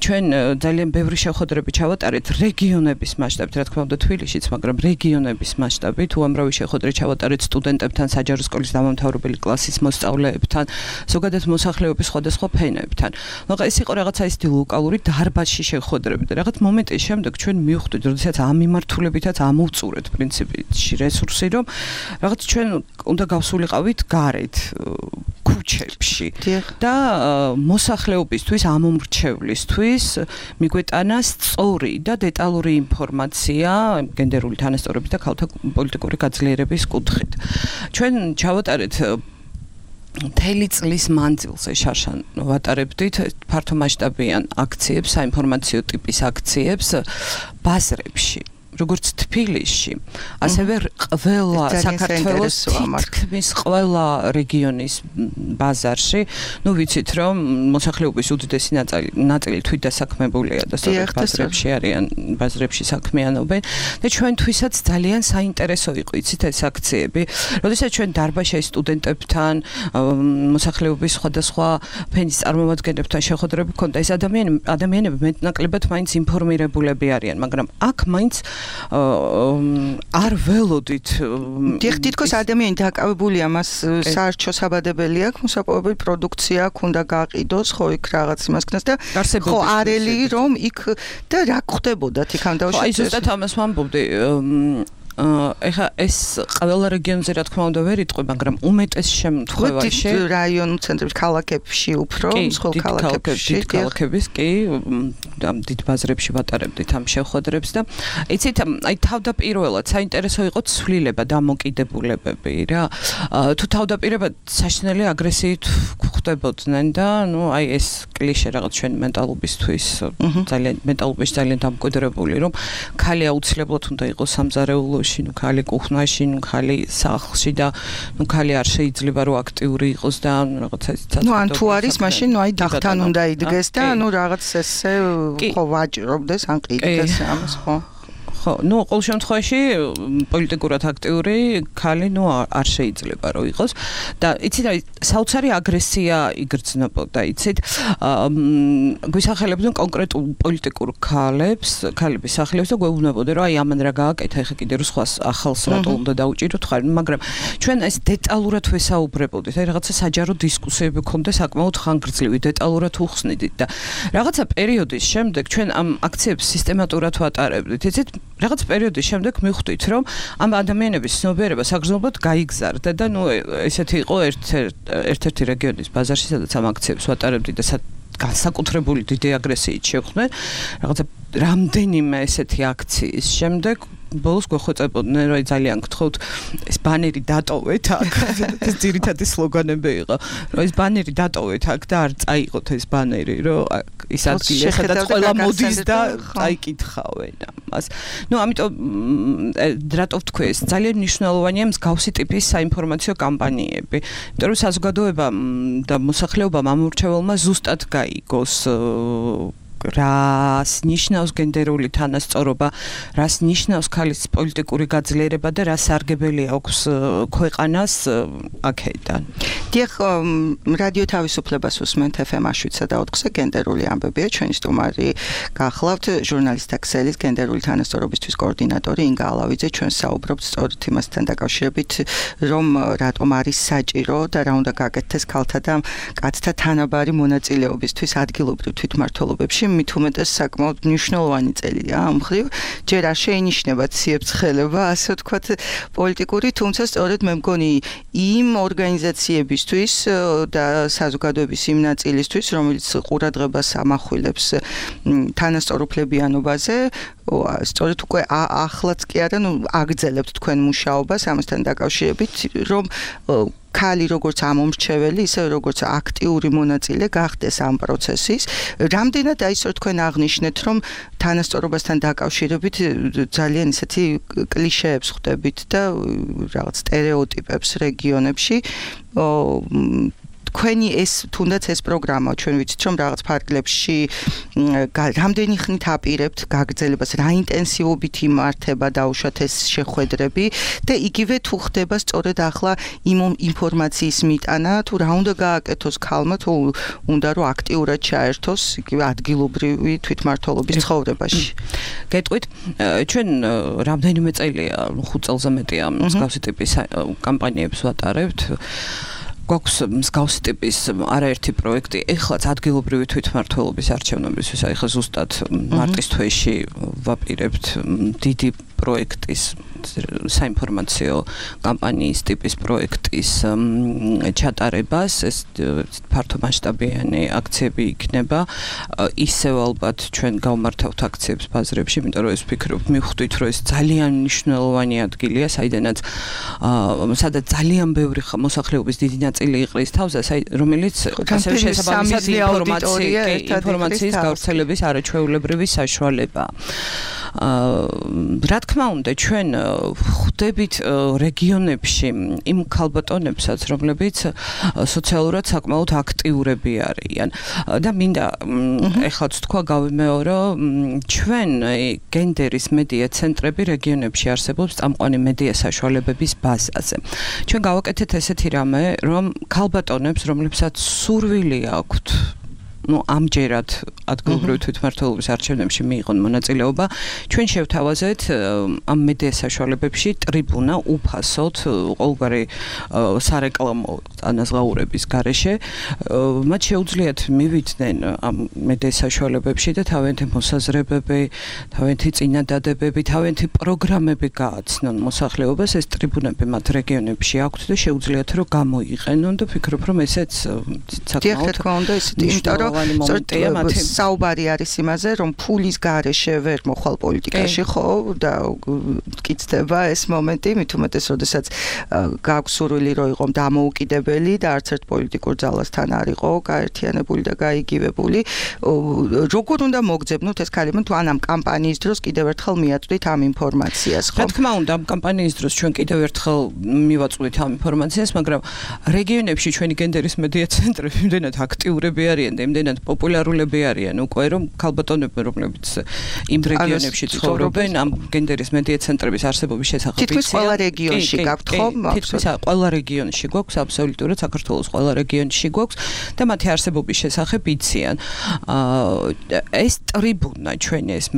ჩვენ ძალიან ბევრი შეხვედრები ჩავატარეთ რეგიონების მასშტაბით, რა თქმა უნდა თბილისშიც, მაგრამ რეგიონების მასშტაბით უამრავი შეხვედრა ჩავატარეთ სტუდენტებთან, საჯარო სკოლის დამამთავრებელი კლასის მოსწავლეებთან, ზოგადად მოსახლეობის სხვადასხვა ფენებთან. მაგრამ ეს იყო რაღაცა ისეთი ლოკალური დარბაზში შეხვედრები და რაღაც მომენტის შემდეგ ჩვენ მივხვდით, როდესაც ამ მიმართულებითაც ამოვწურეთ პრინციპში რესურსი, რომ რაღაც ჩვენ უნდა გავსულიყავით გარეთ ქუჩებში და მოსახლეობისთვის, ამომრჩევლისთვის მიგვეტანა სწორი და დეტალური ინფორმაცია გენდერული თანასწორობის და ქალთა პოლიტიკური გაძლიერების კუთხით. ჩვენ ჩავატარეთ მთელი წლის მანძილზე შარშან ვატარებდით ფართომასშტაბიან აქციებს, საინფორმაციო ტიპის აქციებს ბაზრებში. როგორც თბილისში, ასევე ყველა საქართველოს თითქმის ყველა რეგიონის ბაზარში, ვიცით რომ მოსახლეობის უდიდესი ნაწილი თვით დასაქმებულია და სწორედ ბაზრებში არიან, ბაზრებში საქმიანობენ და ჩვენთვისაც ძალიან საინტერესო იყო იცით ეს აქციები. როდესაც ჩვენ დარბაზში სტუდენტებთან, მოსახლეობის სხვადასხვა ფენის წარმომადგენლებთან შეხვედრები ჰქონდა, ეს ადამიანები მეტნაკლებად მაინც ინფორმირებულები არიან, მაგრამ აქ მაინც არ ველოდით. დიახ, თითქოს ადამიანი დაკავებულია მას საარჩევნო საბადებელი აქვს, მოსაპოვებელი პროდუქცია აქვს, უნდა გაყიდოს, ხო იქ რაღაც იმას ქნას და ხო არელი რომ იქ და რა ხდებოდათ იქამდე? აი ზუსტად ამას ვამბობდი. ეხა ეს ყველა რეგიონზე რა თქმა უნდა ვერ იტყვი, მაგრამ უმეტეს შემთხვევაში რაიონულ ცენტრებში, ქალაქებში უფრო, სხვა ქალაქების კი დიდ ბაზრებში ვატარებდით ამ შეხვედრებს და იცით, აი თავდაპირველად საინტერესო იყო ცვლილება, დამოკიდებულებები რა. თუ თავდაპირველად საშინელი აგრესიით ხდებოდნენ და აი ეს კლიშე რაღაც ჩვენი მენტალობისთვის ძალიან დამკვიდრებული, რომ ქალი აუცილებლად უნდა იყოს სამზარეულოში, ქალი კუხნაში, ქალი სახლში და ქალი არ შეიძლება რომ აქტიური იყოს და რაღაცა ისეთ. ან თუ არის, მაშინ აი დახთან უნდა იდგეს და რაღაც ესე ხო ვაჭრობდეს ან ყიდდეს ამას ხო. ხო, ნუ ყოველ შემთხვევაში პოლიტიკურად აქტიური ქალი არ შეიძლება რომ იყოს და იცით რა საოცარი აგრესია იგრძნობოდა, იცით? გვისახელებდნენ კონკრეტულ პოლიტიკურ ქალების სახლებს და გვეუბნებოდნენ რომ აი ამან რა გააკეთა, ეხა კიდე რო სხვა ახალს რატო უნდა დაუჭიროთ ხარ, მაგრამ ჩვენ ეს დეტალურად ვესაუბრებოდით, აი რაღაცა საჯარო დისკუსიები გქონდა საკმაოდ ხანგრძლივი, დეტალურად უხსნიდით და რაღაცა პერიოდის შემდეგ ჩვენ ამ აქციებს სისტემატურად ვატარებდით. იცით, რაღაც პერიოდის შემდეგ მივხვდით, რომ ამ ადამიანების ცნობიერება საგრძნობლად გაიგზარდა და ესეთი იყო ერთ-ერთი რეგიონის ბაზარში, სადაც ამ აქციებს ვატარებდით და განსაკუთრებული დიდი აგრესიით შევხვდნენ. რაღაცა რამდენიმე ესეთი აქციის შემდეგ ბოლოს გვეხვეწებოდნენ, რომ ძალიან გთხოვთ ეს ბანერი დატოვეთ აქ. ეს ძირითადი სლოგანები იყო, რომ ეს ბანერი დატოვეთ აქ და არ წაიღოთ ეს ბანერი, რომ ის ადგილი სადაც ყველა მოდის და წაიკითხავენ ამას. ამიტომ რატო ვთქვი, ეს ძალიან მნიშვნელოვანია მსგავსი ტიპის საინფორმაციო კამპანიები. იმიტომ რომ საზოგადოებამ და მოსახლეობამ ამ ურჩეველმა ზუსტად გაიგოს რას ნიშნავს გენდერული თანასწორობა, რას ნიშნავს ქალის პოლიტიკური გაძლიერება და რა სარგებელი აქვს ქვეყანას აქედან. დიახ, რადიო თავისუფლებას უსმენთ FM 7-4-ზე გენდერული ამბებია, ჩვენი სტუმარი გახლავთ ჟურნალისტთა ქსელის გენდერული თანასწორობისთვის კოორდინატორი ინგა ალავიძე. ჩვენ საუბრობთ სწორედ იმასთან დაკავშირებით, რომ რატომ არის საჭირო და რა უნდა გაკეთდეს ქალთა და კაცთა თანაბარი მონაწილეობისთვის ადგილობრივ თვითმმართველობებში. მით უმეტეს საკმაოდ მნიშვნელოვანი წელია ამ მხრივ. ჯერ არ შეინიშნება ციებ-ცხელება, ასე ვთქვათ, პოლიტიკური, თუმცა სწორედ მე მგონი იმ ორგანიზაციებისთვის და საზოგადოების იმ ნაწილისთვის, რომელიც ყურადღებას ამახვილებს თანასწორუფლებიანობაზე, სწორედ უკვე ახლაც კი არა, აგრძელებთ თქვენ მუშაობას ამასთან დაკავშირებით, რომ ქალი როგორც ამომრჩეველი, ისე როგორც აქტიური მონაწილე გახდეს ამ პროცესის. რამდენად აისო თქვენ აღნიშნეთ, რომ თანასწორობასთან დაკავშირებით ძალიან ისეთი კლიშეებს ხვდებით და რაღაც სტერეოტიპებს რეგიონებში. თქვენი ეს თუნდაც ეს პროგრამა ჩვენ ვიცით რომ რაღაც ფარგლებში რამდენი ხნით აპირებთ გაგრძელებას, რა ინტენსივობით იმართება დაუშვათ ეს შეხვედრები და იგივე თუ ხდება სწორედ ახლა იმ ინფორმაციის მიტანა, თუ რა უნდა გააკეთოს ქალმა, თუ უნდა რომ აქტიურად ჩაერთოს იგივე ადგილობრივი თვითმმართველობის ცხოვრებაში. გეტყვით, ჩვენ რამდენიმე წელია, 5 წელზე მეტია მსგავსი ტიპის კამპანიებს ვატარებთ. გვაქვს მსგავსი ტიპის არაერთი პროექტი, ეხლაც ადგილობრივი თვითმმართველობის არჩევნებისთვის, ეხლა ზუსტად მარტის თვეში ვაპირებთ დიდი პროექტის საინფორმაციო კამპანიის ტიპის პროექტის ჩატარებას, ეს ფართომასშტაბიანი აქციები იქნება. ისევ ალბათ ჩვენ გავმართავთ აქციებს ბაზრებში, იმიტომ რომ ეს ვფიქრობ, მივხვდით, რომ ეს ძალიან მნიშვნელოვანი ადგილია, საიდანაც ძალიან ბევრი მოსახლეობის დიდი ნაწილი იყრის თავს, რომელიც ასევე შესაბამისად ინფორმაციის გავრცელების არაჩვეულებრივი საშუალებაა. რა თქმა უნდა, ჩვენ ხვდებით რეგიონებში იმ ქალბატონებსაც, რომლებიც სოციალურად საკმაოდ აქტიურები არიან და მინდა ეხლაც თქვა გავიმეორო, ჩვენ გენდერის მედია ცენტრები რეგიონებში არსებობს წამყვანი მედია საშუალებების ბაზაზე. ჩვენ გავაკეთეთ ესეთი რამე, რომ ქალბატონებს, რომლებსაც სურვილი აქვთ ამჯერად ადგილობრივი თვითმმართველობის არჩევნებში მიიღონ მონაწილეობა, ჩვენ შევთავაზეთ ამ მედია საშუალებებში ტრიბუნა უფასოდ ყოველგვარი სარეკლამო ანაზღაურების გარეშე. მათ შეუძლიათ მივიდნენ ამ მედია საშუალებებში და თავიანთი მოსაზრებები, თავიანთი წინადადებები, თავიანთი პროგრამები გააცნონ მოსახლეობას. ეს ტრიბუნები მათ რეგიონებში აქვთ და შეუძლიათ რომ გამოიყენონ და ვფიქრობ, რომ ესეც საკმაოდ საუბარი არის იმაზე, რომ ფულის გარეშე ვერ მოხვალ პოლიტიკაში, ხო, და გწდება ეს მომენტი, მით უმეტეს, როდესაც გაქვს სურვილი რომ იყო დამოუკიდებელი და არც ერთ პოლიტიკურ ძალასთან არ იყო გაერთიანებული და გაიგივებული. როგორ უნდა მოგძებნოთ ეს ქალები, თუ ან ამ კამპანიის დროს კიდევ ერთხელ მიაწვდით ამ ინფორმაციას, ხო? რა თქმა უნდა, ამ კამპანიის დროს ჩვენ კიდევ ერთხელ მივაწვდით ამ ინფორმაციას, მაგრამ რეგიონებში ჩვენი გენდერის მედია ცენტრები იმდენად აქტიურები არიან და იმდენად რამდენად პოპულარულები არიან უკვე რომ ქალბატონები რომლებიც იმ რეგიონებში ცხოვრობენ ამ გენდერის მედია ცენტრების არსებობის შესახებ თითქმის ყველა რეგიონში გაქვთ ხო? თითქმის ყველა რეგიონში გვაქვს აბსოლუტურად საქართველოს ყველა რეგიონში გვაქვს და მათი არსებობის შესახებ იციან. ეს ტრიბუნა ჩვენი ეს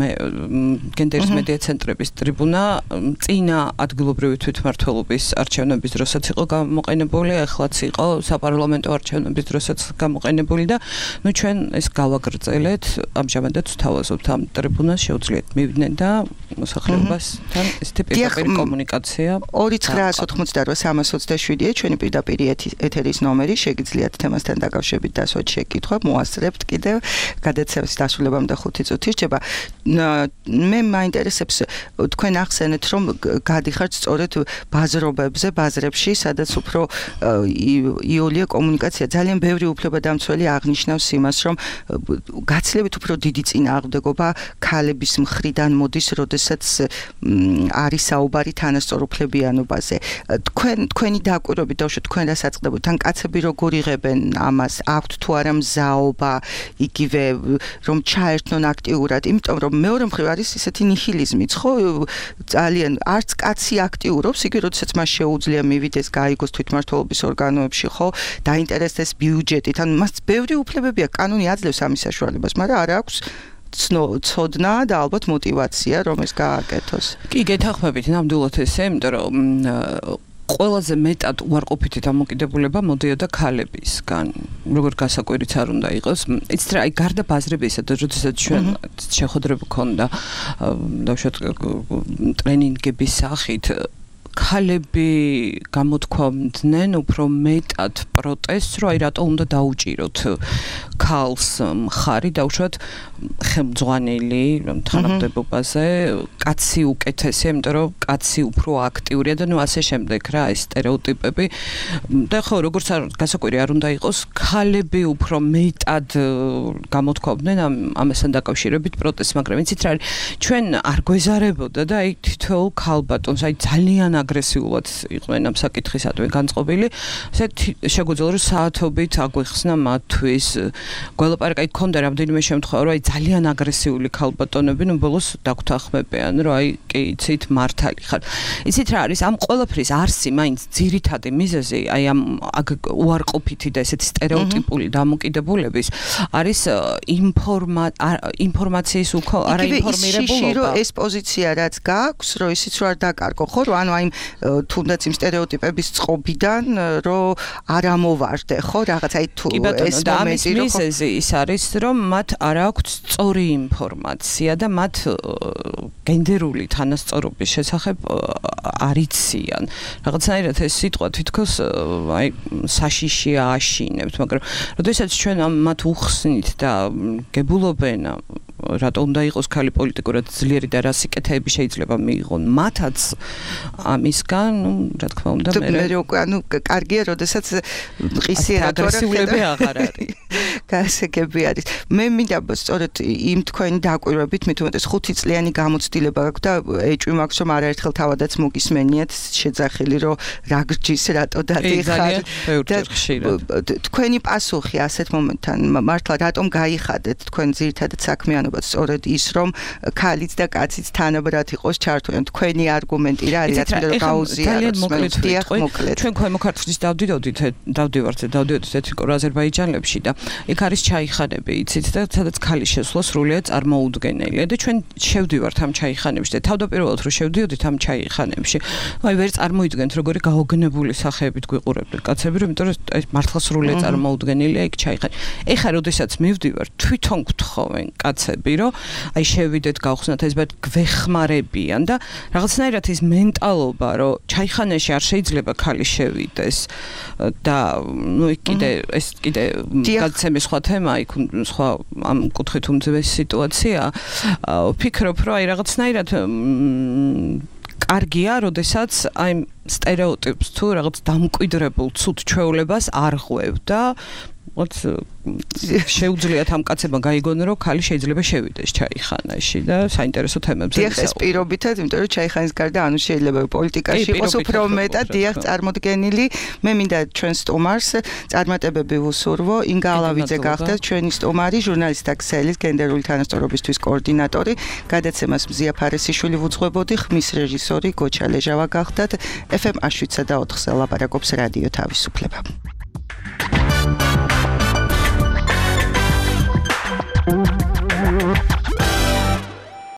გენდერის მედია ცენტრების ტრიბუნა წინა ადგილობრივი თვითმმართველობის არჩევნების დროსაც იყო გამოყენებული, ახლაც იყო საპარლამენტო არჩევნების დროსაც გამოყენებული და ნუ ჩვენ ეს გავაგრძელეთ, ამჟამადაც ვთავაზობთ ამ ტრიბუნას, შეუძლიათ მივიდნენ და მოსახლეობასთან ესეთი პირდაპირ კომუნიკაცია. 2988-327-ია ჩვენი პირდაპირ ეთერის ნომერი, შეგიძლიათ თემასთან დაკავშირებით დასვათ შეკითხვა, მოასწრებთ კიდევ გადაცემის დასრულებამდე 5 წუთი რჩება. მე მაინტერესებს თქვენ ახსენეთ რომ გადიხართ სწორედ ბაზრებში, სადაც უფრო იოლია კომუნიკაცია ძალიან ბევრი უფლებადამცველი აღნიშნავს იმას, რომ გაცილებით უფრო დიდი წინააღმდეგობა ქალების მხრიდან მოდის, როდესაც არის საუბარი თანასწორუფლებიანობაზე. თქვენი დაკვირვებით დავუშვათ, თქვენ რა საწყდებოდ, თან კაცები როგორ იღებენ ამას, აქვთ თუ არა მზაობა, იგივე რომ ჩაერთონ აქტიურად, იმიტომ რომ მეორე მხრივ არის ისეთი ნიჰილიზმიც, ხო? ძალიან არც კაცი აქტიურობს, იგი როდესაც მას შეუძლია მივიდეს, გაიგოს თვითმმართველობის ორგანოებში, ხო? დაინტერესდეს ბიუჯეტით, ან მას ბევრი უფლებები აქვს, კანონი აძლევს ამის საშუალებას, მაგრამ არ აქვს ცოდნა და ალბათ мотиваცია რომ ეს გააკეთოს. კი, გეთანხმებით ნამდვილად ესე, იმიტომ რომ ყველაზე მეტად უარყოფითი დამოკიდებულება მოდიოდა ქალებისგან. როგორ გასაკვირიც არ უნდა იყოს. იცით რა, აი გარდა ბაზრებისა და როდესაც ჩვენ შეხვედრები გქონდა დავუშვათ ტრენინგების სახით ქალები გამოთქვამდნენ უფრო მეტად პროტესტს, რომ აი რატო უნდა დაუჭიროთ ქალს მხარი, დავუშვათ ხელმძღვანელი თანამდებობაზე, კაცი უკეთესია, იმიტომ რომ კაცი უფრო აქტიურია და ნუ ასე შემდეგ რა, ეს სტერეოტიპები. და ხო, როგორც გასაკვირი არ უნდა იყოს, ქალები უფრო მეტად გამოთქვამდნენ ამასთან დაკავშირებით პროტესტს, მაგრამ იცით რა, ჩვენ არ გვეზარებოდა და აი თითოეულ ქალბატონს, აი ძალიან აგრესიულად იყვნენ ამ საკითხისადმი განწყობილი. ესე შეგვიძლია რომ საათობით აგვიხსნა მათთვის. გველაპარაკი ქონდა რამდენიმე შემთხვევა, რომ აი ძალიან აგრესიული ქალბატონები, ნუ ბოლოს დაგვთანხმებიან, რომ აი კი იცით მართალი ხარ. იცით რა არის, ამ ყველაფრის არსი მაინც ძირითადი მიზეზი, აი ამ უარყოფითი და ესეთი სტერეოტიპული დამოკიდებულების არის ინფორმაციის არაინფორმირებულობა. რომ ეს პოზიცია რაც გააქვს, რომ ისიც რო არ დაკარგო, ხო, რომ ანუ აი თუნდაც იმ სტერეოტიპების წყობიდან რომ არ ამოვარდე, ხო, რაღაც აი თუ ეს მომენტი რომ მიზეზი ის არის, რომ მათ არ აქვთ სწორი ინფორმაცია და მათ გენდერული თანასწორობის შესახებ არ იციან. რაღაცნაირად ეს სიტყვა თითქოს აი საშიშია აშინებთ, მაგრამ როდესაც ჩვენ მათ უხსნით და გებულობენ რატო უნდა იყოს ქალი პოლიტიკურად ძლიერი და რა სიკეთეები შეიძლება მიიღონ მათაც ამისგან, ნუ რა თქმა უნდა მე უკვე ანუ კარგია, როდესაც ყისიერად აგრესიულები აღარ არის. გასაგები არის. მე მინდა სწორედ იმ თქვენი დაკვირვებით, მით უმეტეს 5 წლიანი გამოცდილება გაქვს და ეჭვი მაქვს, რომ არაერთხელ თავადაც მოგისმენიათ შეძახილი, რომ რა გრჯის რატო დადიხარ. თქვენი პასუხი ასეთ მომენტთან მართლა რატომ გაიხადეთ თქვენ ძირითადად საქმიანობად სწორედ ის, რომ ქალიც და კაციც თანაბრად იყოს ჩართულები. თქვენი არგუმენტი რა არის, რაც მე რომ გაუზიაროს. მოკლედ. ჩვენ ქვემო ქართლის დავდივართ ეთნიკურ აზერბაიჯანებში და იქ არის ჩაიხანები, იცით და სადაც ქალის შესვლა სრულიად წარმოუდგენელია და ჩვენ შევდივართ ამ ჩაიხანებში და თავდაპირველად რომ შევდიოდით ამ ჩაიხანებში, აი ვერ წარმოიდგენთ როგორი გაოგნებული სახეებით გვიყურებდნენ კაცები, რომ იმიტომ რომ მართლა სრულიად წარმოუდგენელია იქ ჩაიხანი. ეხლა როდესაც მივდივარ, თვითონ გთხოვენ კაცები, რომ აი შევიდეთ, გავხსნათ ეს ბად გვეხმარებიან და რაღაცნაირად ის მენტალობა, რომ ჩაიხანაში არ შეიძლება ქალი შევიდეს და ნუ კიდე ეს კიდე გადაცემის სხვა თემა, იქ სხვა ამ კუთხით უმძიმესი სიტუაცია. ვფიქრობ, რომ აი რაღაცნაირად კარგია, როდესაც აი სტერეოტიპს თუ რაღაც დამკვიდრებულ ცუდ ჩვეულებას არ ღვევ და შეუძლიათ ამ კაცებმა გაიგონო რომ ქალი შეიძლება შევიდეს ჩაიხანაში და საინტერესო თემებზე დიახ ეს პირობითად იმიტომ რომ ჩაიხანის გარდა ანუ შეიძლება პოლიტიკაში იყოს უფრო მეტად დიახ წარმოდგენილი მე მინდა ჩვენ სტუმარს წარმატებები ვუსურვო ინგა ალავიძე გახდათ ჩვენი სტუმარი ჟურნალისტთა ქსელის გენდერული თანასწორობისთვის კოორდინატორი გადაცემას მზია ფარესიშვილი ვუძღვებოდი ხმის რეჟისორი გოჩა ლეჟავა გახდათ FM 7.4-ზე ლაპარაკობს რადიო თავისუფლება Thank you.